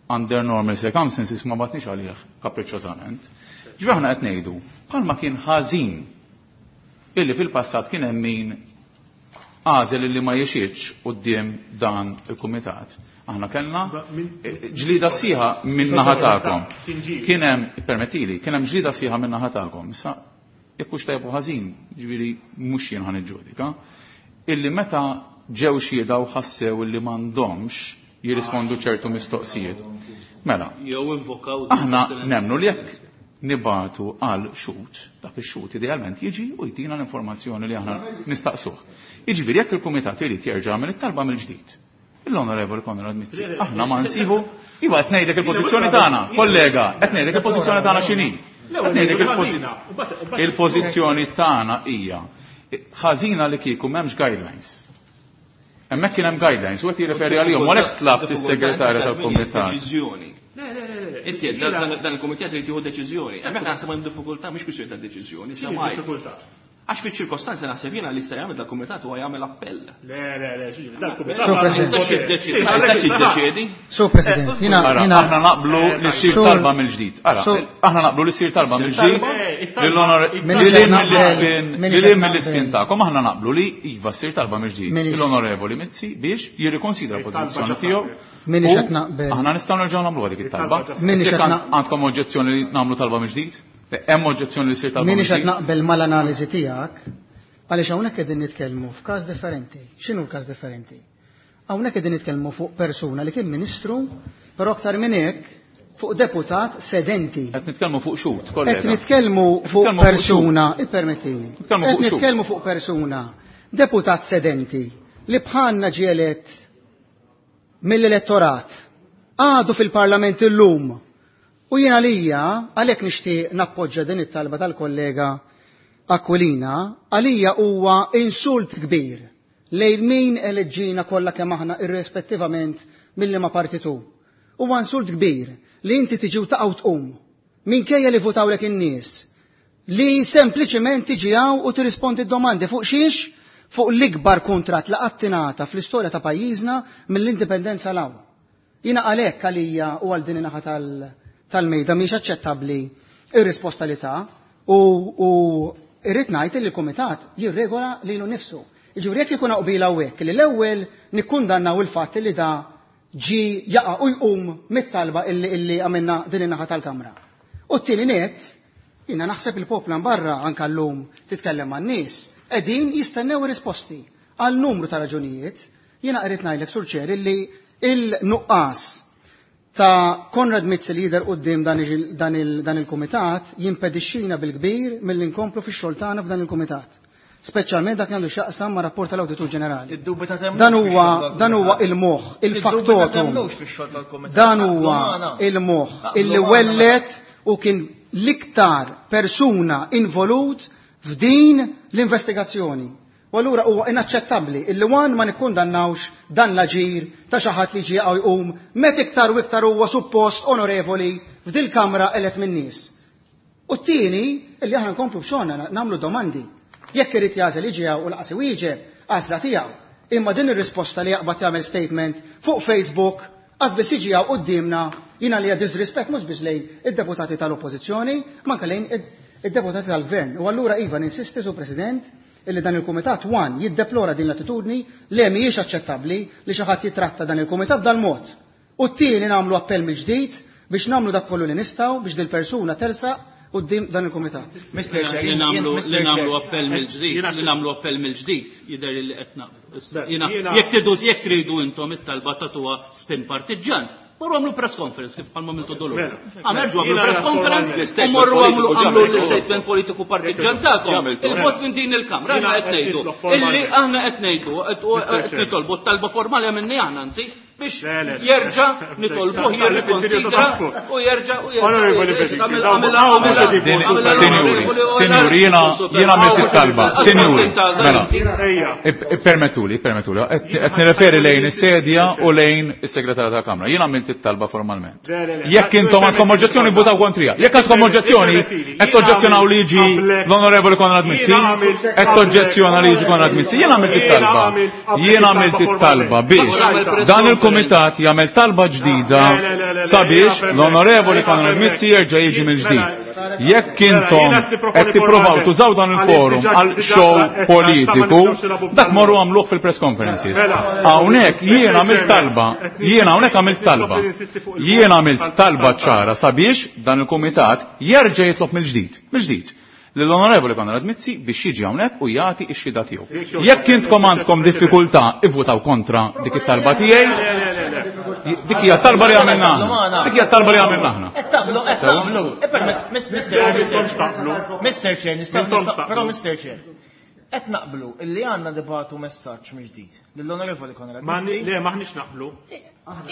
S6: under normal circumstances ma batniex għalih kapriċċożament. Ġifieri aħna qed ngħidu bħalma kien ħażin illi fil-passat kien hemm min għażel illi ma jixhidx quddiem dan il-kumitat. Aħna kellna ġlida sħiħa minn naħa tagħkom. Kien hemm, permettili, kien hemm ġlida sħiħa minn naħa tagħkom. Issa jekk hux tajjeb u ħażin, ġifieri mhux jien ħa niġġudika, illi meta ġew xhieda u ħassew illi m'għandhomx jirrispondu ċertu mistoqsijiet. Mela,
S3: Jew invokaw
S6: aħna nemmnu li jekk nibatu għal xhud, dak ix-xhud idealment jiġi u jtina l-informazzjoni li aħna nistaqsuh. Jiġifieri jekk il-kumitat irid jerġa' jagħmel it-talba mill-ġdid. L-Onorevoli Konrad Mizzi, aħna ma nsibu, iva qed ngħidlek il-pożizzjoni tagħna, kollega, qed ngħidlek il-pożizzjoni tagħna x'inhi. Qed ngħidlek il-pożizzjoni tagħna hija ħażina li kieku m'hemmx guidelines. Hemmhekk kien hemm guidelines u qed jirreferi għalihom u għalhekk tlabt is-segretarja tal-kumitat.
S7: Deċiżjoni. Inti dan il-kumitat irid jieħu deċiżjoni. Hemmhekk naħseb hemm diffikultà mhix kwistjoni ta' deċiżjoni, sa ma Għax fiċ-ċirkostanzi naħseb jiena li jista' jagħmel dal-kumitat huwa jagħmel appell.
S4: Le, le, le, xiġri, dal-kumitat
S8: Sur
S4: ma
S8: President.
S4: jistax jiddeċiedi.
S7: Ma jistax jiddeċiedi.
S8: Sur President, jiena
S6: Ara,
S8: jiena
S6: aħna naqblu li ssir
S8: Sur-
S6: talba mill-ġdid. Ara,
S8: Sur-
S6: aħna naqblu li ssir talba mill-ġdid.
S4: It-talba-
S8: Minix
S6: Lil
S8: qed naqbel, minix qed
S6: mill-ispin
S8: naqbel.
S6: tagħkom aħna naqblu li iva ssir talba mill-ġdid.
S8: Minix-
S6: L-Onorevoli Mizzi biex jirrikonsidra
S4: It-talba
S6: l-pożizzjoni
S4: ġa
S6: tiegħu.
S4: saret.
S8: Minix
S6: U
S8: qed naqbel.
S6: Aħna nistgħu nerġgħu nagħmlu dik it-talba.
S4: It-talba ġa
S8: Minix
S6: Jekk
S8: qed naq-
S6: għandkom oġġezzjoni li nagħmlu talba mill-ġdid? Hemm oġġezzjoni li ssir talba
S8: Minix qed
S6: mill-ġdid?
S8: naqbel mal-analiżi tiegħek, għaliex hawnhekk qegħdin nitkellmu f'każ differenti. X'inhu l-każ differenti? Hawnhekk qegħdin nitkellmu fuq persuna li kien ministru, però aktar minn hekk fuq deputat sedenti.
S6: Qed nitkellmu fuq xhud,
S8: Qed
S6: kollega.
S8: nitkellmu fuq
S6: Nitkellmu fuq
S8: persuna, ippermettili.
S6: Nitkellmu
S8: Qed
S6: fuq xhud.
S8: nitkellmu fuq persuna, deputat sedenti li bħalna ġie elett mill-elettorat, għadu fil-parlament illum. U jiena għalija, għalhekk nixtieq nappoġġa din it-talba tal-kollega Aquilina, għalija huwa insult kbir lejn min eleġġina kollha kemm aħna irrispettivament mill-liema partitu. Huwa insult kbir li inti tiġi u taqa' u tqum minkejja li votawlek in-nies li sempliċement tiġi hawn u tirrispondi d-domandi fuq xiex? Fuq l-ikbar kuntratt li qatt ingħata fl-istorja ta' pajjiżna mill-indipendenza 'l hawn. Jiena għalhekk għalija u għal din in-naħa tal-mejda mhix aċċettabbli ir-risposta li ta' u irrid ngħid li l-kumitat jirregola lilu nnifsu. Jiġifieri jekk ikun qbil hawnhekk li l-ewwel nikkundannaw il-fatt li da ġi jaqa' u jqum mit-talba illi għamilna din in-naħa tal-Kamra. U t-tieni nett, jiena naħseb il-poplu barra anke llum titkellem man-nies, qegħdin jistennew risposti għal numru ta' raġunijiet. Jiena qrid ngħidlek Sur Chair illi il-nuqqas ta' Konrad Mizzi li jidher quddiem dan il-kumitat jimpedixxina bil-kbir milli nkomplu fix-xogħol tagħna f'dan il-kumitat. Speċjalment dak li għandu x'jaqsam ma' rapport tal-Awditur Ġenerali.
S5: Id-dubju ta' temnux
S8: Dan
S5: fix-xogħol
S8: huwa
S5: tal-kumitat.
S8: il-moħħ,
S5: Id-dubju ta'
S8: il-faktotum.
S5: temnux fix-xogħol tal-kumitat.
S8: Dan
S5: Naqblu
S8: huwa
S5: magħna.
S8: il-moħħ
S5: Naqblu
S8: illi
S5: magħna.
S8: wellet u kien l-iktar persuna involut f'din l-investigazzjoni. U allura huwa inaċċettabbli illi wan ma nikkundannawx dan l-aġir ta' xi ħadd li ġie jqum met iktar u iktar huwa suppost onorevoli f'dil kamra elett min-nies. U t-tieni illi aħna nkomplu b'xogħolna nagħmlu domandi. Jekk irid jagħżel jiġi hawn u laqas iwieġeb, għażla tiegħu. Imma din ir-risposta li jaqbad jagħmel statement fuq Facebook qas biss jiġi hawn quddiemna jiena li hija disrispett mhux biss lejn id-deputati tal-Oppożizzjoni, ma anke lejn id-deputati tal-Gvern. U allura iva ninsisti, Sur President, illi dan il-kumitat one jiddeplora din l-attitudni li mhijiex aċċettabbli li xi ħadd jitratta dan il-kumitat b'dal-mod. U t-tieni nagħmlu appell mill-ġdid biex nagħmlu dak kollu li nistgħu biex dil-persuna tersaq quddiem dan il-kumitat.
S5: Mr. Chair,
S3: Li nagħmlu
S5: Mr.
S3: li nagħmlu
S5: Chair.
S3: appell mill-ġdid,
S4: Jiena-
S3: li nagħmlu appell mill-ġdid jidher li qed naqblu. Issa,
S4: Beh,
S3: jiena
S4: jiena-
S3: jekk tridu jekk tridu intom it-talba tagħtuha spin partiġġan, morru għamlu press conference kif bħalma għamiltu dolu.
S4: Mela.
S3: Għamel ġu għamlu
S4: Jiena
S3: press conference
S7: formalment.
S3: u morru għamlu
S7: Politiku
S3: għamlu
S7: ġamiltu.
S3: l-statement politiku partiġġan tagħkom.
S7: Ġamiltu.
S3: Il-vot minn din il-Kamra
S4: Jiena
S3: aħna qed
S4: qed
S3: ngħidu
S4: nitlob
S3: illi
S4: formalment.
S3: aħna qed ngħidu qed
S4: Mr. Chair.
S3: nitolbu t-talba formali għamilni aħna anzi biex
S4: Le, le, le.
S3: jerġa' nitolbuh jirrikonsidra u jerġa' u jerġa'
S4: Onorevoli Bedicki,
S3: Għamel-
S4: dawn-
S3: għamel-
S4: dawn mhux
S3: għamel-
S4: qed
S6: Din-
S3: għamel-
S6: Sinjuri,
S3: għamel-
S6: sinjuri, jiena għamilt it-talba. Sinjuri, mela.
S4: Ejja.
S6: Ippermettuli, ippermettuli, qed nirreferi lejn is-sedja u lejn is-segretarja tal-Kamra. Jiena għamilt it-talba formalment.
S4: Le, le, le.
S6: Jekk intom għandkom oġġezzjoni votaw kontrija. Jekk għandkom oġġezzjoni, qed toġġezzjonaw li jiġi l-Onorevoli Konrad Mizzi, qed toġġezzjona li jiġi Konrad Mizzi. Jiena għamilt it-talba. Jiena għamilt it-talba biex dan il-kumitat jagħmel talba ġdida sabiex l-Onorevoli Konrad Mizzi jerġa' jiġi mill-ġdid. Jekk intom qed tippruvaw tużaw dan il-forum għal show politiku, dak morru għamluh fil-press conferences. Hawnhekk jiena għamilt talba, jiena hawnhekk għamilt talba. Jiena għamilt talba ċara sabiex dan il-kumitat jerġa' jitlob mill-ġdid, mill-ġdid lill-Onorevoli Konrad Mizzi biex jiġi hawnhekk u jagħti x-xhieda tiegħu. Jekk intkom għandkom diffikultà ivvutaw kontra dik it-talba tiegħi, dik hija talba li għamilna aħna. Dik hija talba li għamilna aħna.
S5: Qed taqblu, qed taqblu. Ippermett, Mr.
S4: Mintomx taqblu.
S5: Mr. Chair, nistgħu
S4: Mintomx
S5: nistgħu-
S4: taqblu.
S5: però Mr. Chair. Qed naqblu illi għandna nibagħtu messaġġ mill-ġdid lill-Onorevoli Konrad
S4: Ma
S5: Mizzi.
S4: le, maħniex naqblu.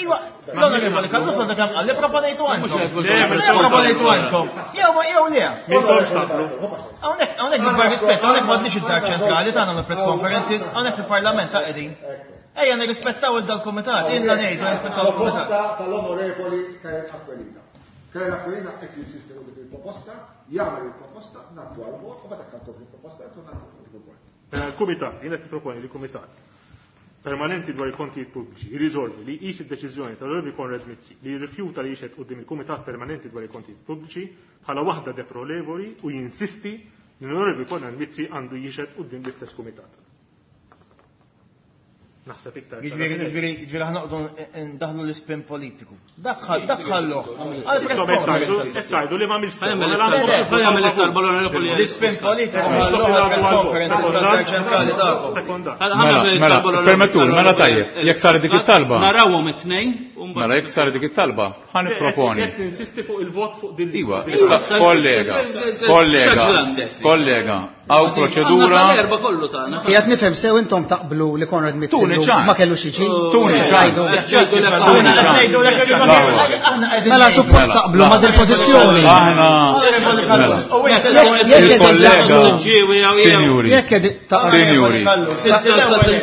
S5: Iwa, l-Onorevoli Kallus għandha kemm qal li proponejtu għandkom.
S4: Le,
S5: Le proponejtu għandkom. Jew ma jew le.
S4: Mintomx taqblu.
S5: Hawnhekk hawnhekk bil rispett, hawnhekk m'għandniex id-dar ċentrali tagħna nagħmlu press conferences, hawnhekk fil-Parlament ta' qegħdin. Ejja nirrispettaw il dal-kumitat, ilna ngħidu nirrispettaw il-kumitat.
S1: Proposta tal-onorevoli Karen Aquilina. Karen Aquilina qed jinsisti fuq dik il-proposta, jagħmel il-proposta, ngħaddu għal-vot u meta kantu il-proposta qed ngħaddu fuq il-vot.
S4: Mela, Il-Kumitat, jiena qed proponi li kumitat permanenti dwar il-kontijiet pubbliċi jirriżolvi li jqis id-deċiżjoni tal-Onorevoli Konrad Mizzi li jirrifjuta li jixhed quddiem il-Kumitat Permanenti dwar il-Kontijiet Pubbliċi bħala waħda deplorevoli u jinsisti li l-Onorevoli Konrad Mizzi għandu jixhed quddiem l-istess kumitat. Naħseb iktar.
S5: Jiġifieri, jiġifieri, jiġifieri aħna noqogħdu ndaħlu l-ispin politiku. Dak dak ħalluh. Għal press conferences.
S4: Qed tgħidu li m'għamilx sew,
S3: Għamel
S4: mela għandu
S3: it-talba it-talba l-Onorevoli
S5: L-ispin politiku ħalluh għal press conferences tad-dar ċentrali tagħkom.
S4: Sekonda.
S6: Mela, mela, permettuli, mela tajjeb, jekk saret dik it-talba.
S3: Narawhom it-tnejn u mbagħad-
S6: Mela jekk saret dik it-talba, ħa nipproponi.
S4: Qed ninsisti fuq il-vot fuq din
S6: Iwa, issa kollega, kollega, kollega, għaw proċedura.
S3: Għandna sal-erba' kollu tagħna.
S8: Qiegħed nifhem sew intom taqblu li Konrad Mizzi
S6: Tuni
S8: llum
S6: ċans.
S8: ma kellux jiġi.
S6: Tuni ċans.
S8: Rajdu.
S5: Aħna qed ngħidu lek aħna qegħdin
S8: Mela suppost
S6: Mela,
S8: taqblu ma dil pożizzjoni.
S6: Aħna,
S5: Onorevoli
S6: mela,
S5: Kallus, u inti l-ewwel
S8: Jekk
S6: il-kollega,
S3: Siġġiewi jew jew.
S6: sinjuri,
S8: Jekk qed taqblu
S6: sinjuri,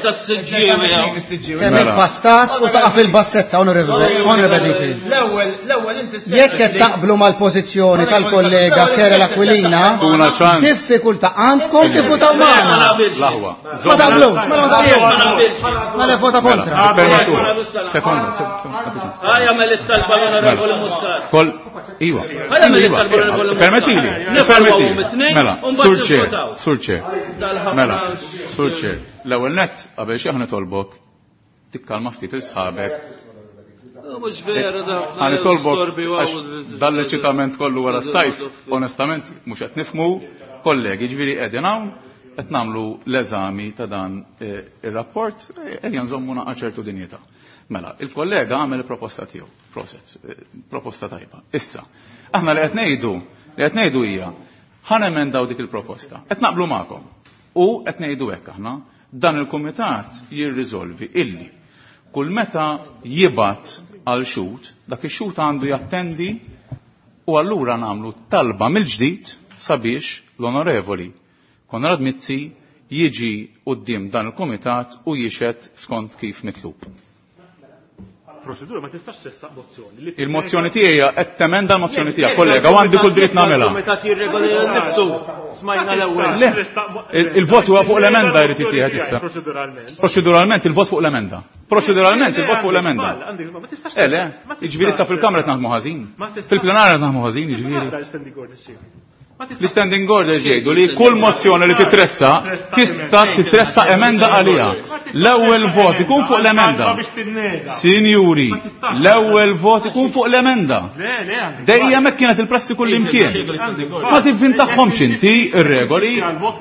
S3: Tas-siġġiewi jew.
S8: kemm
S6: Mela.
S8: il-pastas u taqa' fil-bassezza onorevoli Onorevoli.
S5: L-ewwel, l-ewwel inti stess.
S8: Jekk qed taqblu mal-pożizzjoni tal-kollega Kerel Aquilina,
S6: Tuna ċans.
S8: diffikultà għandkom tivvutaw magħna.
S6: L-aħwa.
S8: Ma taqblux, mela ma taqblux. Mela vota kontra.
S6: Mela, permettuli. Sekonda, sekonda.
S3: Ħa jagħmel it-talba l-Onorevoli Muscat.
S6: Kol, iwa.
S3: Ħa jagħmel
S6: Iwa,
S3: it-talba l-Onorevoli Muscat.
S6: Permettili,
S3: Nifalwaw
S6: permettili.
S3: mit-tnejn,
S6: Mela,
S3: u mbagħad
S6: surċe,
S3: nivvotaw.
S6: surċe.
S3: Dal-ħafna-
S6: Mela, surċe. L-ewwel nett qabel xi aħna tolbok tikkalma ftit il-sħabek.
S3: Mhux vera da.
S6: Ħa nitolbok għax dal-eċitament kollu wara s-sajf, onestament mhux qed nifmu, kollegi, ġifieri qegħdin hawn qed nagħmlu l-eżami ta' dan eh, ir-rapport, eh, ejja nżommu naqa' ċertu dinjità. Mela, il-kollega għamel il-proposta tiegħu, proset, eh, proposta tajba. Issa, aħna li qed ngħidu, li qed ngħidu hija ħa nemendaw dik il-proposta. Qed naqblu magħkom. U qed ngħidu hekk aħna, dan il-kumitat jirriżolvi illi kull meta jibat għal xut, dak ix-xut għandu jattendi u allura nagħmlu talba mill-ġdid sabiex l-onorevoli Konrad Mizzi jiġi quddiem dan il-kumitat u jixed skont kif mitlub.
S4: Procedura ma tistax tressaq mozzjoni. li-
S6: Il-mozzjoni tiegħi hija qed temenda l-mozzjoni tiegħek, kollega, u għandi kull dritt nagħmilha.
S5: Il-kumitat jirregola lilu nnifsu. Smajna l-ewwel.
S6: Le, il-vot huwa fuq l-emenda jrid jittieħed issa.
S4: Proceduralment.
S6: Proċeduralment il-vot fuq l-emenda. Proċeduralment il-vot fuq l-emenda.
S4: Għandek żball, ma tistax.
S6: Eh le,
S4: ma tistax
S6: jiġifieri issa fil-kamra qed naħdmu ħażin.
S4: Ma tistax.
S6: Fil-plenarja qed naħdmu ħażin, jiġifieri.
S4: Għadha l-standing orders xi.
S6: L-standing orders jgħidu li kull mozzjoni li titressa tista' titressa emenda għaliha. L-ewwel vot ikun fuq l-emenda. Sinjuri, l-ewwel vot ikun fuq l-emenda. Dejjem hekk kienet il-prassi kull imkien. Ma tivvintahomx inti ir-regoli,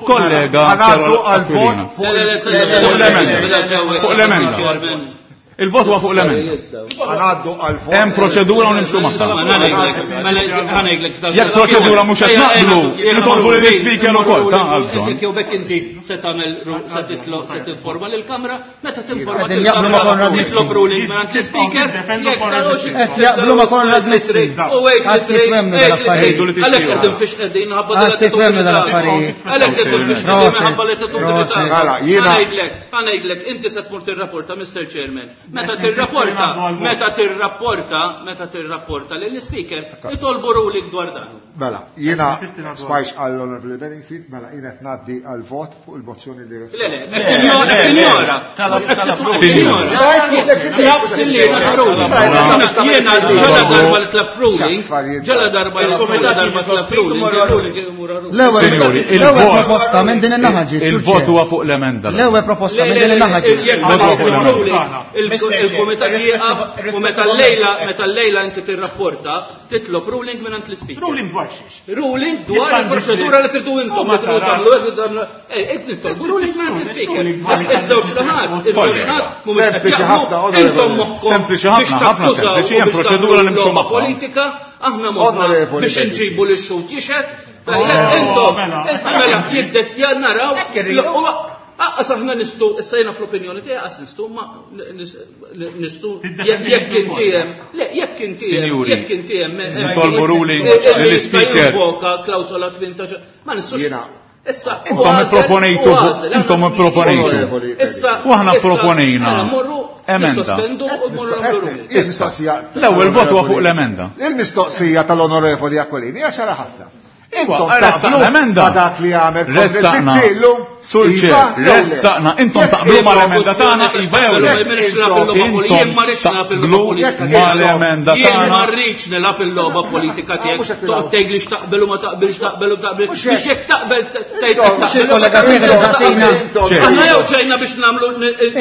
S6: kollega Aquilina. Fuq l-emenda. Fuq l-emenda. Il-vot huwa fuq l-emenda.
S1: Għanaddu għal-vot.
S6: Hemm proċedura u nimxu magħha. Jekk proċedura mhux qed naqblu, nitolbu lill-ispeaker ukoll ta' għal bżonn.
S3: Jew bekk inti se tagħmel se titlob se tinforma lill-Kamra, meta tinforma
S8: Qegħdin jaqblu ma' Konrad Mizzi.
S3: Titlob ruling mingħand l-ispeaker.
S8: Qed jaqblu ma' Konrad Mizzi. Għassi twemnu dal-affarijiet.
S3: Għalhekk qegħdin fiex qegħdin ħabba
S8: Għassi twemnu dal-affarijiet.
S3: Għalhekk qegħdin fiex qegħdin ħabba li
S8: Proset.
S1: Mela, jiena-
S3: Ħanejdlek, inti se tmur tirrapporta, Mr. Chairman. Meta tirrapporta, meta tirrapporta, meta tirrapporta lill-speaker, itolbu ruling dwar dan.
S1: Mela, jiena smajx għall-Honorable Benningfield, mela jiena qed ngħaddi għal-vot fuq il-mozzjoni li
S3: Le, le, ignora. Jiena ġala darba li tlab ruling, ġala darba li darba tlab ruling,
S8: L-ewwel
S6: Sinjuri,
S8: l-ewwel
S6: il-vot-
S8: proposta minn din in-naħa ġiet.
S6: Il-vot huwa fuq l-emenda.
S8: L-ewwel proposta minn din in-naħa ġiet.
S3: Il-komitat jieqaf u meta l-lejla, meta l-lejla inti tirrapporta, titlob ruling minn l-speaker.
S4: Ruling dwar xiex.
S3: Ruling dwar il-proċedura li tridu intom, li tridu tagħmlu, qed nitolbu ruling minn l-speaker. Iż-żewġ naħat, iż-żewġ naħat mhumiex qed
S1: Sempliċi ħafna,
S3: jaqblu, intom moħħkom
S6: Sempliċi ħafna,
S3: biex
S6: ħafna
S3: taftużaw
S6: sempliċi,
S3: u
S6: hemm
S3: biex
S6: proċedura
S3: tagħmlu
S6: li nimxu
S3: logħba
S6: magħha.
S3: Politika, aħna moħħna
S1: Onorevoli
S3: biex
S1: Benedict.
S3: inġibu lix xut jixed, tajjeb intom,
S4: mela.
S3: mela jibdet ja naraw, Aqqas aħna nistu, issa jiena fl-opinjoni tiegħi qas nistu, ma nistu jekk inti hemm, le jekk inti hemm,
S6: Sinjuri,
S3: jekk inti hemm
S6: nitolbu ruling lill-speaker.
S3: Invoka klawsola 18, ma nistux.
S1: Jiena.
S3: Issa,
S6: Intom
S3: u għażel,
S6: ipproponejtu,
S3: u għażel,
S6: intom
S3: aħna
S6: ipproponejtu.
S1: Onorevoli
S3: Issa,
S6: U aħna
S3: issa,
S6: proponejna
S3: mela, morru,
S6: emenda.
S3: nissospendu u morru nagħmlu ruling.
S1: Il-mistoqsija.
S6: L-ewwel vot huwa fuq l-emenda.
S1: Il-mistoqsija tal-Onorevoli Aquilini hija ċara ħafna. Intom
S6: Iwa, ressaqna
S1: taqblu
S6: emenda.
S1: ma dak li għamel
S6: Ressaqna.
S1: Konrad Mizzi llum?
S6: Sur
S1: Iva,
S6: ċer,
S1: jew le?
S6: ressaqna. Intom
S1: Jekk
S6: taqblu
S1: intom-
S6: mal-emenda tagħna, iva jew le?
S3: Jien ma rridx nilgħab il-logħba
S6: Taqblu
S3: politika.
S6: mal-emenda
S3: Jien ma
S6: tagħna.
S3: rridx nilgħab il-logħba politika
S1: Ah, mhux
S3: tiegħek.
S1: qed tilgħab.
S3: Toqgħod tgħid li x'taqbel u ma taqbilx taqbel u taqbel.
S1: Mhux
S3: Biex
S1: hekk.
S3: jekk taqbel tgħid
S1: Intom,
S3: taqbel.
S8: il-kollega tiegħek qed isaqsina.
S6: Ċer.
S3: Aħna jew ġejna biex nagħmlu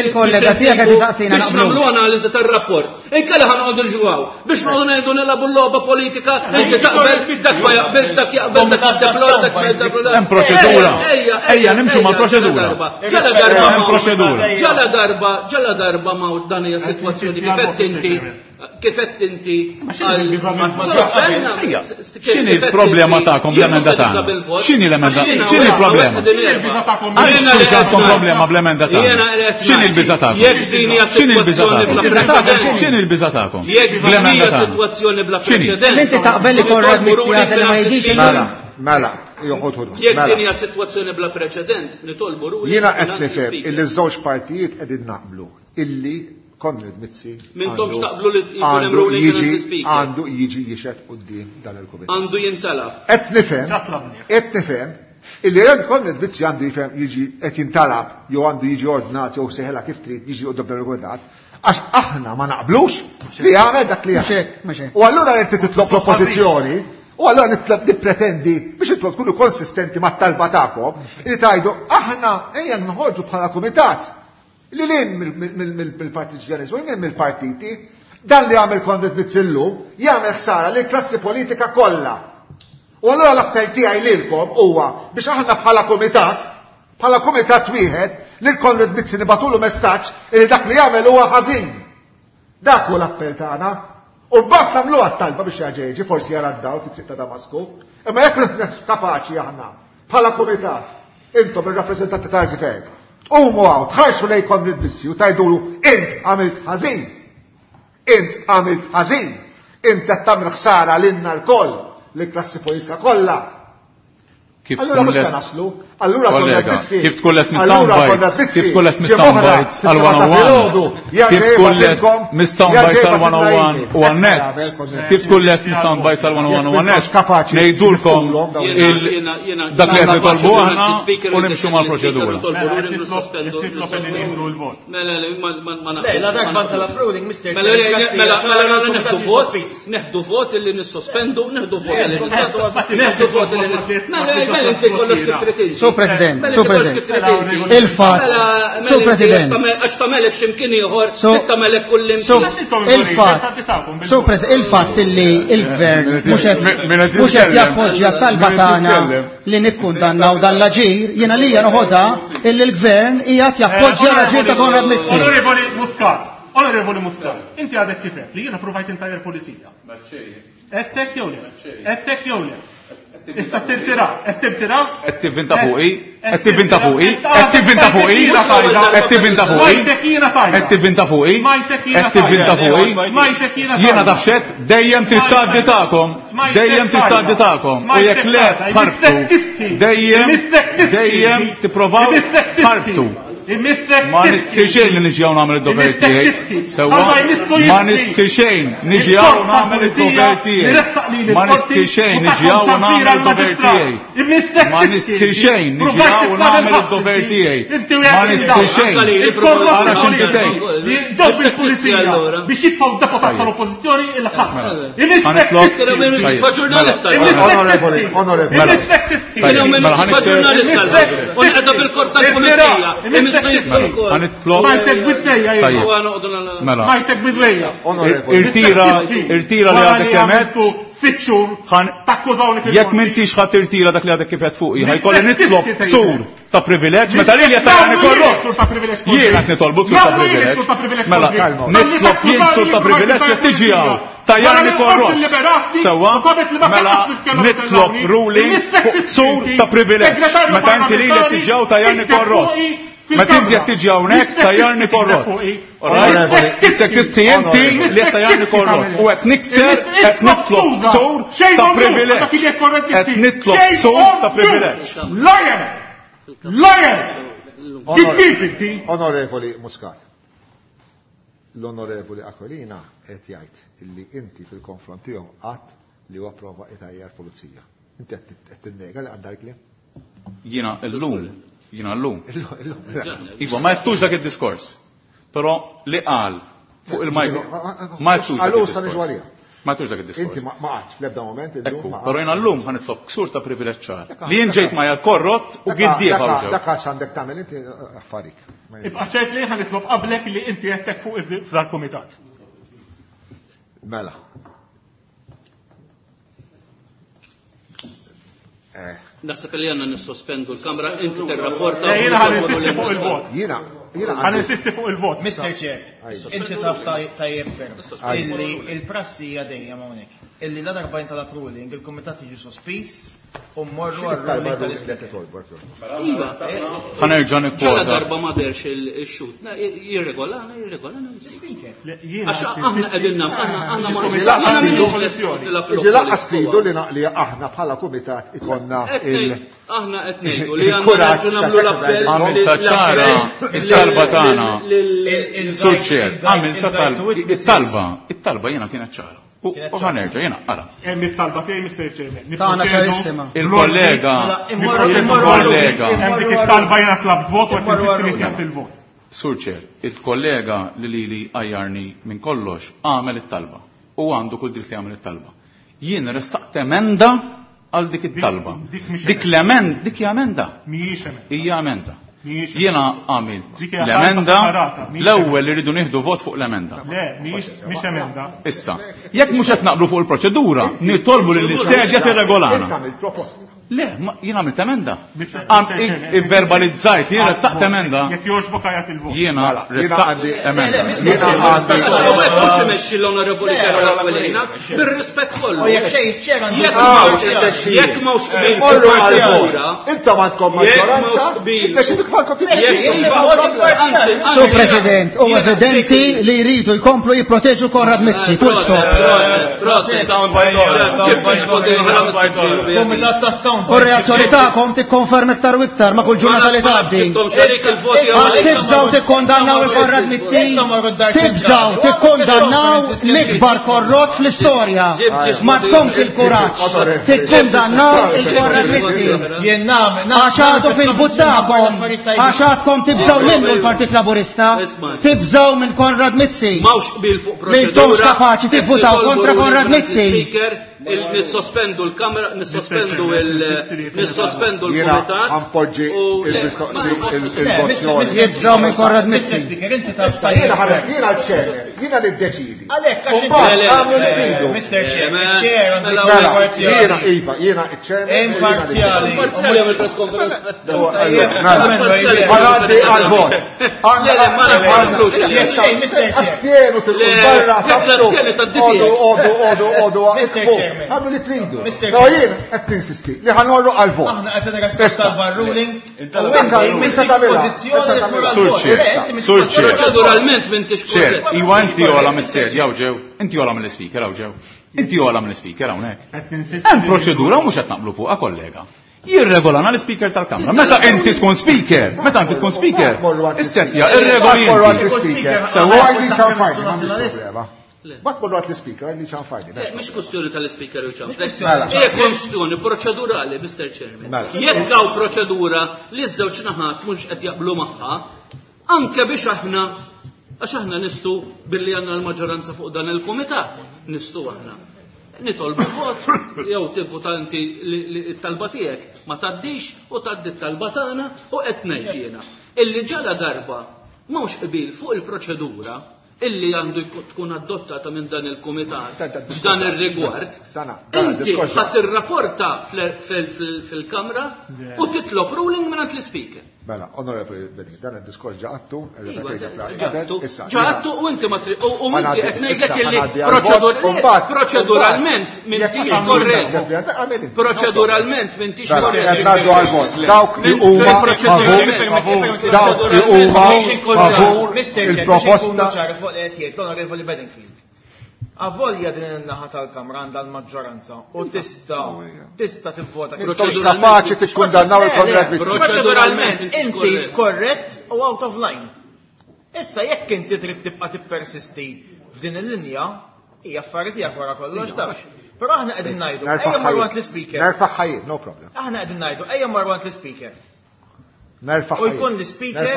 S8: Il-kollega tiegħek qed isaqsina
S3: biex
S8: naqblu.
S3: nagħmlu analiżi tar-rapport. Inkella ħa noqogħdu nġuaw biex noqogħdu ngħidu nilagħbu l-logħba politika, inti taqbel, dak ma jaqbilx, dak jaqbel, dak jiddeplora, dak ma jiddeplora.
S6: Hemm proċedura.
S3: Ejja,
S6: Ejja, nimxu mal-proċedura.
S3: Ġala darba
S6: Hemm
S3: ma-
S6: proċedura.
S3: Ġala darba, ġala darba ma dan hija sitwazzjoni kif qed inti kif qed inti
S6: Ejja, x'inhi l-problema tagħkom bl-emenda tagħna? X'inhi l-emenda? X'inhi l-problema? Għaliex għandkom problema bl-emenda tagħna? X'inhi l-biża' tagħkom?
S3: Jekk din hija
S6: X'inhi l-biża'
S3: sitwazzjoni bla
S6: tagħkom?
S3: preċedent.
S6: X'inhi l-biża' tagħkom?
S3: Jekk din
S6: Bl-emenda
S3: hija
S6: tagħna.
S3: sitwazzjoni bla
S6: X'inhi?
S3: preċedent.
S8: Inti taqbel li Konrad Mizzi jagħti li ma jiġix
S1: Mela, mela, joħod ħod.
S3: Jekk
S1: Mela.
S3: din hija sitwazzjoni bla preċedent, nitolbu ruling.
S1: Jiena qed
S3: mingħand
S1: nifhem
S3: l-speaker.
S1: illi ż-żewġ partijiet qegħdin naqblu illi Konrad Mizzi
S3: Mintomx
S1: għandu-
S3: taqblu li jkun hemm
S1: għandu
S3: ruling
S1: jiġi
S3: mingħand l-speaker.
S1: għandu jiġi jixed quddiem dan il-kumitat.
S3: Għandu jintalab.
S1: Qed nifhem,
S4: Ġa tlabnieh.
S1: qed nifhem illi hemm Konrad Mizzi għandu jifhem jiġi qed jintalab jew għandu jiġi ordnat jew seħela kif trid jiġi quddiem dan il-kumitat għax aħna ma naqblux li jagħmel dak li
S8: Mhux
S1: jagħmel.
S8: hekk, mhux hekk.
S1: U allura inti titlob l-oppożizzjoni, u allura nitlob nippretendi biex intom tkunu konsistenti mat-talba tagħkom li tgħidu aħna ejja nħorġu bħala kumitat li lin mill-partiġjanizmu, lil mill-partiti, dan li għamel Konrad Mizzi llum jagħmel ħsara lil klassi politika kollha. U allura l-appell tiegħi lilkom huwa biex aħna bħala kumitat, bħala kumitat wieħed, lil Konrad Mizzi nibatulu messaġġ li dak li jagħmel huwa ħażin. Dak hu l-appell tagħna. U mbagħad nagħmluha t-talba biex jaġa jiġi, forsi jara d-dawl fit-triq ta' Damasku. Imma jekk m'aħniex kapaċi aħna bħala kumitat, intom ir-rappreżentanti tal-gvern, tqumu hawn, tħarsu lejn Konrad Mizzi u tgħidulu int għamilt ħażin. Int għamilt ħażin. Int qed tagħmel ħsara lilna lkoll, lill-klassi politika kollha.
S6: Kif
S1: Allura
S6: tkun
S1: mhux se
S6: lest
S1: naslu. Allura
S6: Kollega, kif tkun lest
S1: Allura
S6: mis-sound
S1: konna
S6: bites,
S1: Mizzi,
S6: kif tkun lest
S1: ġimgħa
S6: mis-sound
S1: oħra,
S6: bites għal
S1: fis-seba ta'
S6: 101,
S1: filgħodu,
S6: kif
S1: jerġa'
S6: tkun lest
S1: jibgħatilkom-
S6: mis-sound
S1: jerġa'
S6: bites għal
S1: jibgħatilna
S6: 101
S1: email.
S6: u għan-net,
S1: Hekk
S6: kif tkun lest mis-sound bites għal 101 u għan-net,
S1: Jekk kapaċi
S6: ngħidulkom
S1: niftulhom dawn
S6: il- dak li qed nitolbu aħna u nimxu mal-proċedura.
S3: Mela, le, ma ma ma
S5: Le, la darba tal-approving, Mr.
S3: Mela, le, mela, mela, mela, neħdu vot, neħdu vot illi nissospendu, neħdu vot illi nissospendu, neħdu vot illi nissospendu. Mela, mela, inti kollox kif trid inti.
S8: Sur President,
S3: Mela,
S8: Sur
S3: inti kollox
S8: President.
S3: kif trid inti.
S8: Il-fatt,
S3: Mela, mela,
S8: Sur
S3: inti
S8: President.
S3: Għax tagħmelek x'imkien ieħor,
S8: So-
S3: trid tagħmelek kull
S8: So,
S3: imkien.
S8: il-fatt, so President, il-fatt illi il-gvern mhux qed
S6: Min qed
S8: mhux qed
S6: jitkellem.
S8: jappoġġja t-talba
S6: Min qed
S8: tagħna
S6: jitkellem.
S8: li nikkundannaw dan l-aġir, jiena lija noħodha illi l-gvern qiegħed jappoġġja l-aġir ta' Konrad Mizzi.
S4: Onorevoli Muscat, Onorevoli Muscat, inti għadek kifet li jiena provajt intajjer pulizija. Għedtek jew le? Għedtek jew le? Issa tirtira, qed tirtira?
S6: Qed tivvinta fuqi, qed tivvinta fuqi, qed tivvinta fuqi, qed tivvinta fuqi,
S4: Majtek jiena tajba.
S6: qed tivvinta fuqi,
S4: Majtek jiena
S6: qed tivvinta
S4: tajba.
S6: fuqi.
S4: Majtek jiena tajba.
S6: Jiena tafxet dejjem trid tgħaddi tagħkom, dejjem trid tgħaddi tagħkom. U jekk le tħarbtu, dejjem dejjem tipprovaw tħarbtu. Ma nistħi xejn li niġi hawn nagħmel id-dover tiegħi. Sewwa, ma nistħi xejn niġi hawn nagħmel id-dover tiegħi. Ma nistħi xejn niġi hawn nagħmel id-dover tiegħi. Ma nistħi xejn niġi hawn nagħmel id-dover tiegħi. Ma nistħi xejn. Ara x'inti tgħid.
S4: Dawk il-pulizija biex jitfaw deputat tal-oppożizzjoni il-ħadd.
S6: Ħanitlob.
S3: Fa ġurnalista.
S1: Onorevoli, onorevoli.
S6: Tajjeb, mela ħanikser.
S3: Unqeda bil-korp tal-pulizija.
S6: Ħanitlob.
S4: Majtek bidwejja
S6: Tajjeb. Mela.
S4: Majtek bidwejja.
S1: Onorevoli.
S6: Irtira, irtira li għadek kemet.
S4: Sitt xhur takkużawni fil
S6: Jekk m'intix ħadd irtira dak li għadek kif qed fuqi, ħajkolli nitlob ksur ta' privileġġ meta lili qed tarani korrott. Jien qed nitolbu ksur ta' privileġġ. Mela, nitlob jien ksur ta' privileġġ jekk tiġi hawn. Tajjarni korrott. Sewwa, mela nitlob ruling fuq ksur ta' privileġġ. Meta inti lili qed tiġi hawn tajjarni korrott. Meta inti qed tiġi hawnhekk tajjarni korrott. Alright? Issek tisti inti li qed tajjarni korrott. U qed nikser qed nitlob ksur ta' privileġġ. Qed nitlob ksur ta' privileġġ.
S4: Liar! Liar! Kittib inti!
S1: Onorevoli Muscat, l-onorevoli Aquilina qed jgħid illi inti fil-konfront tiegħu qatt li huwa prova itajjar pulizija. Inti qed tinnega li għandha kliem?
S6: Jiena llum, jiena llum.
S1: Illum, illum.
S6: Iva, ma jettux dak id-diskors. Però li qal fuq il-micro. Ma jettux dak
S1: Għallu sa niġu
S6: id-diskors.
S1: għalija.
S6: Ma jettux dak id-diskors.
S1: Inti ma qgħadx fl-ebda moment illum.
S6: Ekku,
S1: ma
S6: però jiena llum ħa nitlob ksur ta' privileġġ ċar. Li jien ġejt ma korrott u giddieb
S1: Dak
S6: hawn ġew.
S1: dak għax għandek tagħmel inti affarik.
S4: Ibqa' ċert li ħa nitlob qablek li inti għedtek fuq f'dal-kumitat.
S1: Mela.
S3: Naħseb li għandna nissospendu l-Kamra, inti tirrapporta.
S4: Le, Jiena ħa ninsisti fuq il-vot.
S1: Jiena, jiena
S4: Ħa
S1: għandi
S4: ninsisti fuq il-vot.
S5: Mr. Chair, inti taf tajjeb ferm illi il-prassi hija dejjem hawnhekk. Illi la darba jintalab ruling, il-kumitat jiġi sospiż u mmorru
S1: X'inhi t-talba
S5: għar-ruling
S1: ruling li qed
S5: tal-Ispeaker.
S1: titolbu?
S3: Iva,
S6: Ħa nerġa'
S3: ġala
S6: nikkwota.
S3: darba ma derx il-xut. Jirregolana, jirregolana.
S5: Speaker.
S3: Għax aħna qegħdin nagħmlu, aħna aħna ma
S1: Ġi laqqas
S3: aħna
S1: tridu-
S3: m'iniex lest
S1: Ġi laqqas tridu li naqli aħna bħala kumitat ikonna
S3: Qed
S1: il-
S3: ngħid- Aħna qed ngħidu li għandna
S1: il-kuraġġ
S3: nerġgħu nagħmlu l-appell.
S6: Għamilta ċara, it-talba tagħna. Sur Chair, għamilta talba, it-talba, it-talba jiena kienet ċara. U
S5: Kienet
S6: u
S5: ċara.
S6: ħa nerġa' jiena ara.
S4: Hemm it-talba tiegħi Mr. Chairman.
S8: Tagħna ċarissima.
S6: Il-kollega,
S5: Mela, immorru immorru
S6: il-kollega,
S4: Hemm dik it-talba jiena tlabt vot u qed
S5: Immorru
S4: ninsisti li
S5: għar-ruling.
S4: tjaħt il-vot.
S6: Sur Chair, il-kollega li lili għajjarni minn kollox għamel it-talba. U għandu kull dritt li għamel it-talba. Jien ressaqt emenda għal dik it-talba.
S4: Dik mhix
S6: Dik l-emenda, dik hija emenda.
S4: Mhijiex emenda.
S6: Hija emenda.
S4: Mhijiex
S6: Jiena għamilt
S4: Dik hija
S6: l-emenda,
S4: talba separata, mhijiex
S6: l-ewwel li rridu nieħdu vot fuq l-emenda.
S4: Le, mhijiex mhix emenda.
S6: Issa, jekk mhux qed naqblu fuq il-proċedura, nitolbu lil sedja
S1: Inti
S6: tirregolana.
S1: għamilt proposta.
S6: Le, ma- jien għamilt emenda.
S4: Mr.
S6: Għam
S4: Chairman.
S6: ivverbalizzajt, jien ressaqt emenda.
S4: Jekk jogħġbok għajat il-vot.
S6: Jiena
S1: Mela, jiena
S6: ressaqt
S1: għandi-
S6: emenda.
S1: Jiena għandi
S3: Għax hawnhekk mhux imexxi l-Onorevoli Karol Aquilina, bir-rispett kollu.
S5: U jekk xejn iċ-chair għandu
S3: Jekk
S1: Ah,
S3: m'hawnx
S1: tmexxija.
S3: jekk m'hawnx qbil
S1: Morru
S3: fil-proċedura,
S1: għal-vot. Intom għandkom
S3: Jekk
S1: maġġoranza,
S3: m'hawnx qbil.
S1: inta xi tfalkom
S3: Jekk anzi,
S8: Sur
S3: anzi,
S8: President, u
S3: jiena-
S8: evidenti li jridu jkomplu jipproteġu Konrad Mizzi, full stop.
S3: Proset,
S7: Sound bite order, sound bite order, sound bite order.
S5: Kumitat tas
S8: U r-reazzjoni tagħkom tikkonferma iktar u iktar ma' kull ġurnata li tgħaddi. Għax tibżgħu tikkondannaw il-Konrad Mizzi, tibżgħu tikkondannaw l-ikbar korrott fl-istorja. Ma tkomx il-kuraġġ tikkondannaw il-Konrad Mizzi. Għax għadu fil-but tagħkom, għax għadkom tibżgħu minnu l-Partit Laburista, tibżgħu minn Konrad Mizzi. M'intomx kapaċi tivvutaw kontra Konrad Mizzi.
S3: Nissospendu l-kamra, nissospendu il-nissospendu l-kumitat.
S1: Għanpoġġi il-mozzjoni.
S8: Jibżgħu minn Konrad Mizzi.
S1: Jiena jiena l-ċer, jiena li ddeċidi.
S5: Għalhekk għax Mr. Chair, chair
S1: mela, jiena iva, jiena iċ-chairman.
S5: Imparzjali.
S3: Imparzjali għamil press conference.
S1: Għaddi għal-vot. Assienu tilqu barra. Odu, odu, odu, odu, Għamlu li tridu. Però jien qed ninsisti li ħanorru għal-vot.
S5: Aħna qed nirrispetta l-ruling.
S6: Sur Chair.
S3: Proċeduralment m'intix
S6: Chair, iwa inti għola mis-sedja hawn ġew, inti għola mill-ispeaker hawn ġew. Inti għola mill-ispeaker hawnhekk. Hemm proċedura u mhux qed naqblu fuqha kollega. Jirregolana l-speaker tal-kamra. Meta inti tkun speaker, meta inti tkun speaker, issettja ir-regoli.
S1: Sewwa għajdi ċanfajni, Bat morru għat l-speaker, għajdi ċanfajni.
S3: Mhix kwestjoni tal-speaker u ċanfajni. Hija kwestjoni proċedurali, Mr. Chairman. Jekk hawn proċedura li ż-żewġ naħat mhux qed jaqblu magħha, anke biex aħna għax aħna nistu billi għandna l-maġġoranza fuq dan il-kumitat, nistu aħna. Nitolbu vot, jew tivvota inti t-talba tiegħek ma tgħaddix u tgħaddi t-talba tagħna u qed ngħid jiena. Illi ġala darba m'hawnx qbil fuq il-proċedura illi għandu tkun adottata minn dan il-kumitat f'dan ir-rigward, inti ħadd tirrapporta fil-Kamra u titlob ruling mingħand l-Ispeaker.
S1: Mela, Onorevoli Beni, dan id-diskors ġaqattu,
S3: ġaqattu, ġaqattu u inti ma trid u inti qed ngħidlek illi proċeduralment m'intix korrett. Proċeduralment m'intix korrett.
S1: Ngħaddu għal-vot. Dawk li huma favur, dawk li huma favur il-proposta.
S5: Fuq li qed jgħid l-Onorevoli Bedingfield. Avolja din in-naħa tal-Kamra għandha l-maġġoranza u tista' tista' tivvota.
S1: Intom kapaċi tikkundannaw il-Konrad Mizzi.
S5: Proċeduralment inti skorrett u out of line. Issa jekk inti trid tibqa' tippersisti f'din il-linja, hija affari tiegħek wara kollox taf. Però aħna qegħdin ngħidu, ejja mmorru għand l-ispeaker.
S1: Nerfa' ħajjin, no problem.
S5: Aħna qegħdin ngħidu, ejja mmorru għand l-ispeaker.
S1: Nerfa'
S5: U jkun l-ispeaker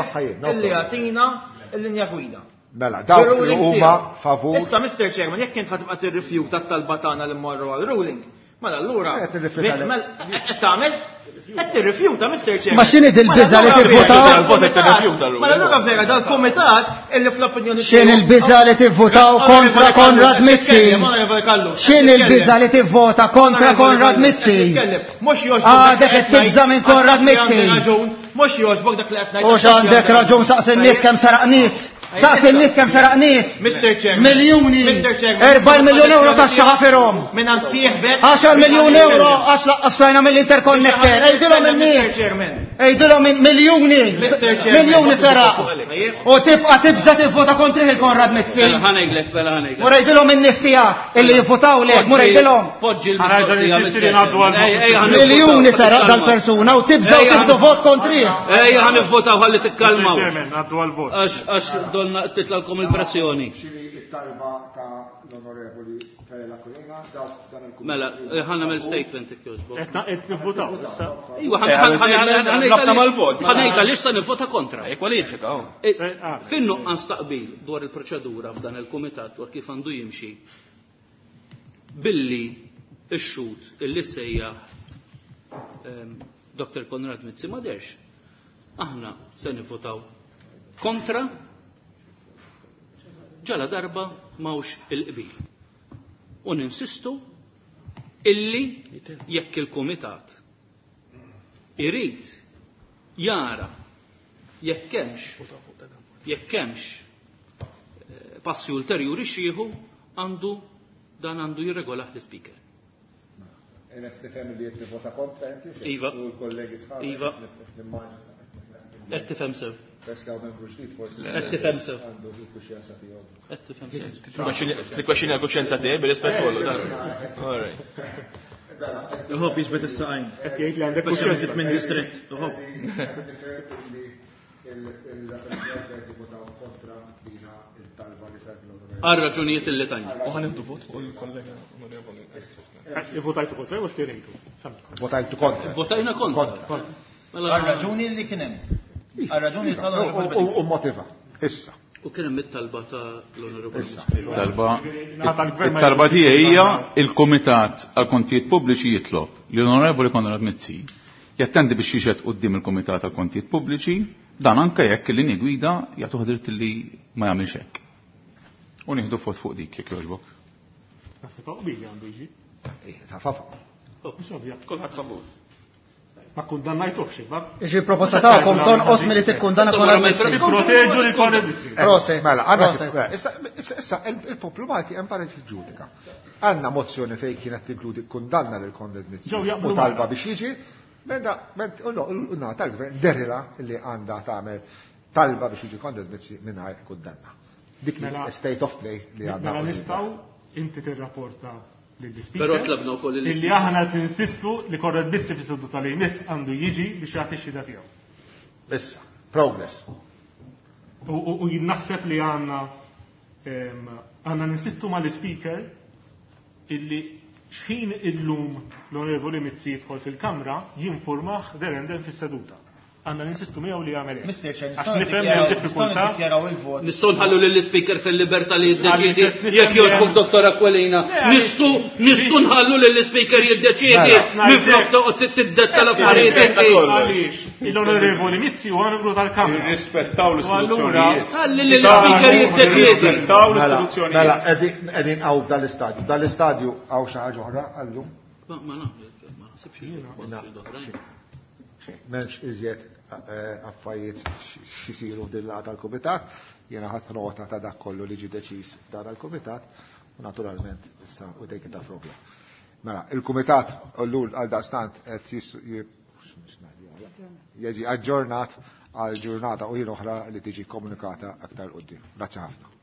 S5: illi jagħtina l-linja gwida.
S1: Mela, dawk li huma favur.
S5: Issa, Mr. Chairman, jekk int ħatibqa' tirrifjuta t-talba tagħna li mmorru għal ruling, mela allura. Qed tagħmel? Qed tirrifjuta, Mr. Chairman.
S8: Ma x'inhi dil-biża' li tivvutaw?
S5: Mela allura vera dal-kumitat illi fl-opinjoni
S8: X'in il-biża' li tivvutaw kontra Konrad Mizzi? X'in il-biża' li tivvota kontra Konrad Mizzi? Għadek qed tibża' minn Konrad Mizzi.
S5: Mhux jogħġbok dak li qed ngħid.
S8: U x'għandek raġun saqs in-nies kemm saraq nies. Saqs in-nies kemm saraq nies.
S5: Mr. Chairman.
S8: Miljuni.
S5: Mr. Chairman.
S8: 4 miljun euro taxxa ħafirhom.
S5: Minn sieħbek.
S8: 10 miljun euro għax laqqas rajna mill-interconnector. Ejdilhom in-nies. Ejdilhom miljuni. Miljuni saraq. U tibqa' tibża' tivvota kontrih il-Konrad Mizzi.
S3: Mela ħa ngħidlek, mela ħa ngħidlek.
S8: Mur ejdilhom in-nies tiegħek illi jivvutaw lek, mur ejdilhom.
S3: Poġġi l-mistoqsija, Mr. Chairman.
S8: Miljuni saraq dal-persuna u tibża' u tieħdu vot kontrih.
S3: Ejja ħa nivvotaw ħalli tikkalmaw.
S4: Chairman, ngħaddu għal-vot.
S3: Għax donna titlalkom il-pressjoni.
S1: It-talba ta' l-Onorevoli Karela Kulina, dawk dan il
S3: Mela, ħa nagħmel statement jekk jogħġbok.
S4: Qed nivvutaw issa.
S3: Iva,
S7: Rabta mal-vot.
S3: ħa ngħid għaliex se nivvota kontra.
S7: Kwalifika, oh.
S3: Fin-nuqqas taqbil dwar il-proċedura f'dan il-kumitat dwar kif għandu jimxi billi x-xhud illi sejjaħ Dr. Konrad Mizzi ma derx. Aħna se nivvotaw kontra ġala darba mawx il-qbil. U ninsistu illi jekk il-kumitat irid jara jekk hemmx passi ulterjuri xieħu għandu dan għandu jirregolah l-speaker.
S1: Qed tifhem li qed tivvota kontra inti?
S3: Iva.
S1: U l-kollegi sħabek?
S3: Iva. Qed tifhem sew.
S1: Peress li hawn membru ġdid forsi.
S3: Qed tifhem sew.
S1: Għandu l-kuxjenza tiegħu.
S3: Qed tifhem sew.
S7: Tikkwexxini l-kuxjenza tiegħi bir-rispett kollu. All right.
S5: Iħobb jiġbed is-saqajn.
S4: Qed jgħid li għandek
S5: Speċjalment
S4: kuxjenza.
S5: minn distrett. Iħobb.
S3: Għal raġunijiet illi tajna.
S7: U ħa nieħdu vot fuq il-kollega onorevoli.
S4: Votajtu kontra u stjerejtu.
S1: Votajtu kontra.
S3: Votajna kontra. Mela-
S5: Għal raġuni li kien hemm. Għal raġuni tal-onorevoli
S1: U motiva. Issa.
S3: U kien hemm it-talba ta' l-onorevoli.
S6: Talba
S4: Tal-gvern ma
S6: it-talba tiegħi hija il-Kumitat għal Kontijiet Pubbliċi jitlob li l-Onorevoli Konrad Mizzi jattendi biex jixhed quddiem il-Kumitat għal Kontijiet Pubbliċi dan anke jekk il-linji gwida jagħtuh dritt li ma jagħmilx hekk. U nieħdu vot fuq dik jekk jogħġbok.
S4: Naħseb qbil għandu jiġi.
S1: Ta' fafa.
S4: Mhux ovvja.
S7: Kulħadd favur.
S4: Ma kundannajtuhx, iva.
S8: Iġi proposta tagħkom tonqos milli tikkundanna Konrad Mizzi.
S4: Tipproteġu li Konrad Mizzi.
S8: Proset.
S1: Mela, għandna
S8: Proset.
S1: mela, issa, issa il-poplu Malti hemm paret jiġġudika. Għandna mozzjoni fejn kienet tinkludi kundanna lil Konrad Mizzi
S4: Ġew jaqblu
S1: u talba
S4: magħna.
S1: biex jiġi, meta u no, u na tal-gvern derila li għandha tagħmel talba biex jiġi Konrad Mizzi mingħajr kundanna. Dik
S4: Mela-
S1: state of play li għandna.
S4: Mela
S1: qudiemna.
S4: nistgħu inti tirrapporta lill-speaker.
S3: Però tlabna wkoll
S4: Illi
S3: lill-speaker.
S4: aħna qed ninsistu li Konrad Mizzi fis-seduta li jmiss għandu jiġi biex jagħti x-xhieda tiegħu.
S1: Issa, progress.
S4: U jien naħseb li għandna għandna ninsistu mal-speaker illi xħin illum l-Onorevoli Mizzi jidħol fil-Kamra jinformah derenden fis-seduta. Għandna ninsistu miegħu li jagħmel hekk.
S5: Mr. Chair,
S4: Għax
S5: nistgħu
S4: nifhem li hemm
S5: nistgħu
S4: diffikultà.
S5: niddikjaraw il-vot.
S3: Nistgħu nħallu lill-speaker fil-libertà li jiddeċiedi
S4: Għaliex nifhem
S3: jekk
S4: li
S3: jogħġbok
S4: hemm-
S3: Dottor Aquilina.
S4: Le, għaliex-
S3: Nistgħu nistgħu nħallu lill-speaker jiddeċiedi
S1: Mela.
S3: minflok toqgħod tiddetta l-affarijiet inti.
S4: Għaliex l-Onorevoli Mizzi huwa membru tal-Kamra.
S6: Irrispettaw
S4: U allura-
S3: Ħalli lill-speaker jiddeċiedi.
S6: Irrispettaw
S1: Mela, mela, qegħdin hawn dal-istadju. Dal-istadju hawn xi ħaġa oħra għallum.
S3: Ma ma ma naħsibx li oħrajn.
S1: M'hemmx iżjed affarijiet xisiru f'din laqgħa tal-kumitat, jiena ħadd nota ta' dak kollu li ġie deċiż f'dan il-kumitat u naturalment issa u take it up from there. Mela, il-kumitat llul għal daqstant qed jiġi aġġornat għal ġurnata u jien oħra li tiġi komunikata aktar quddiem. Grazzi ħafna.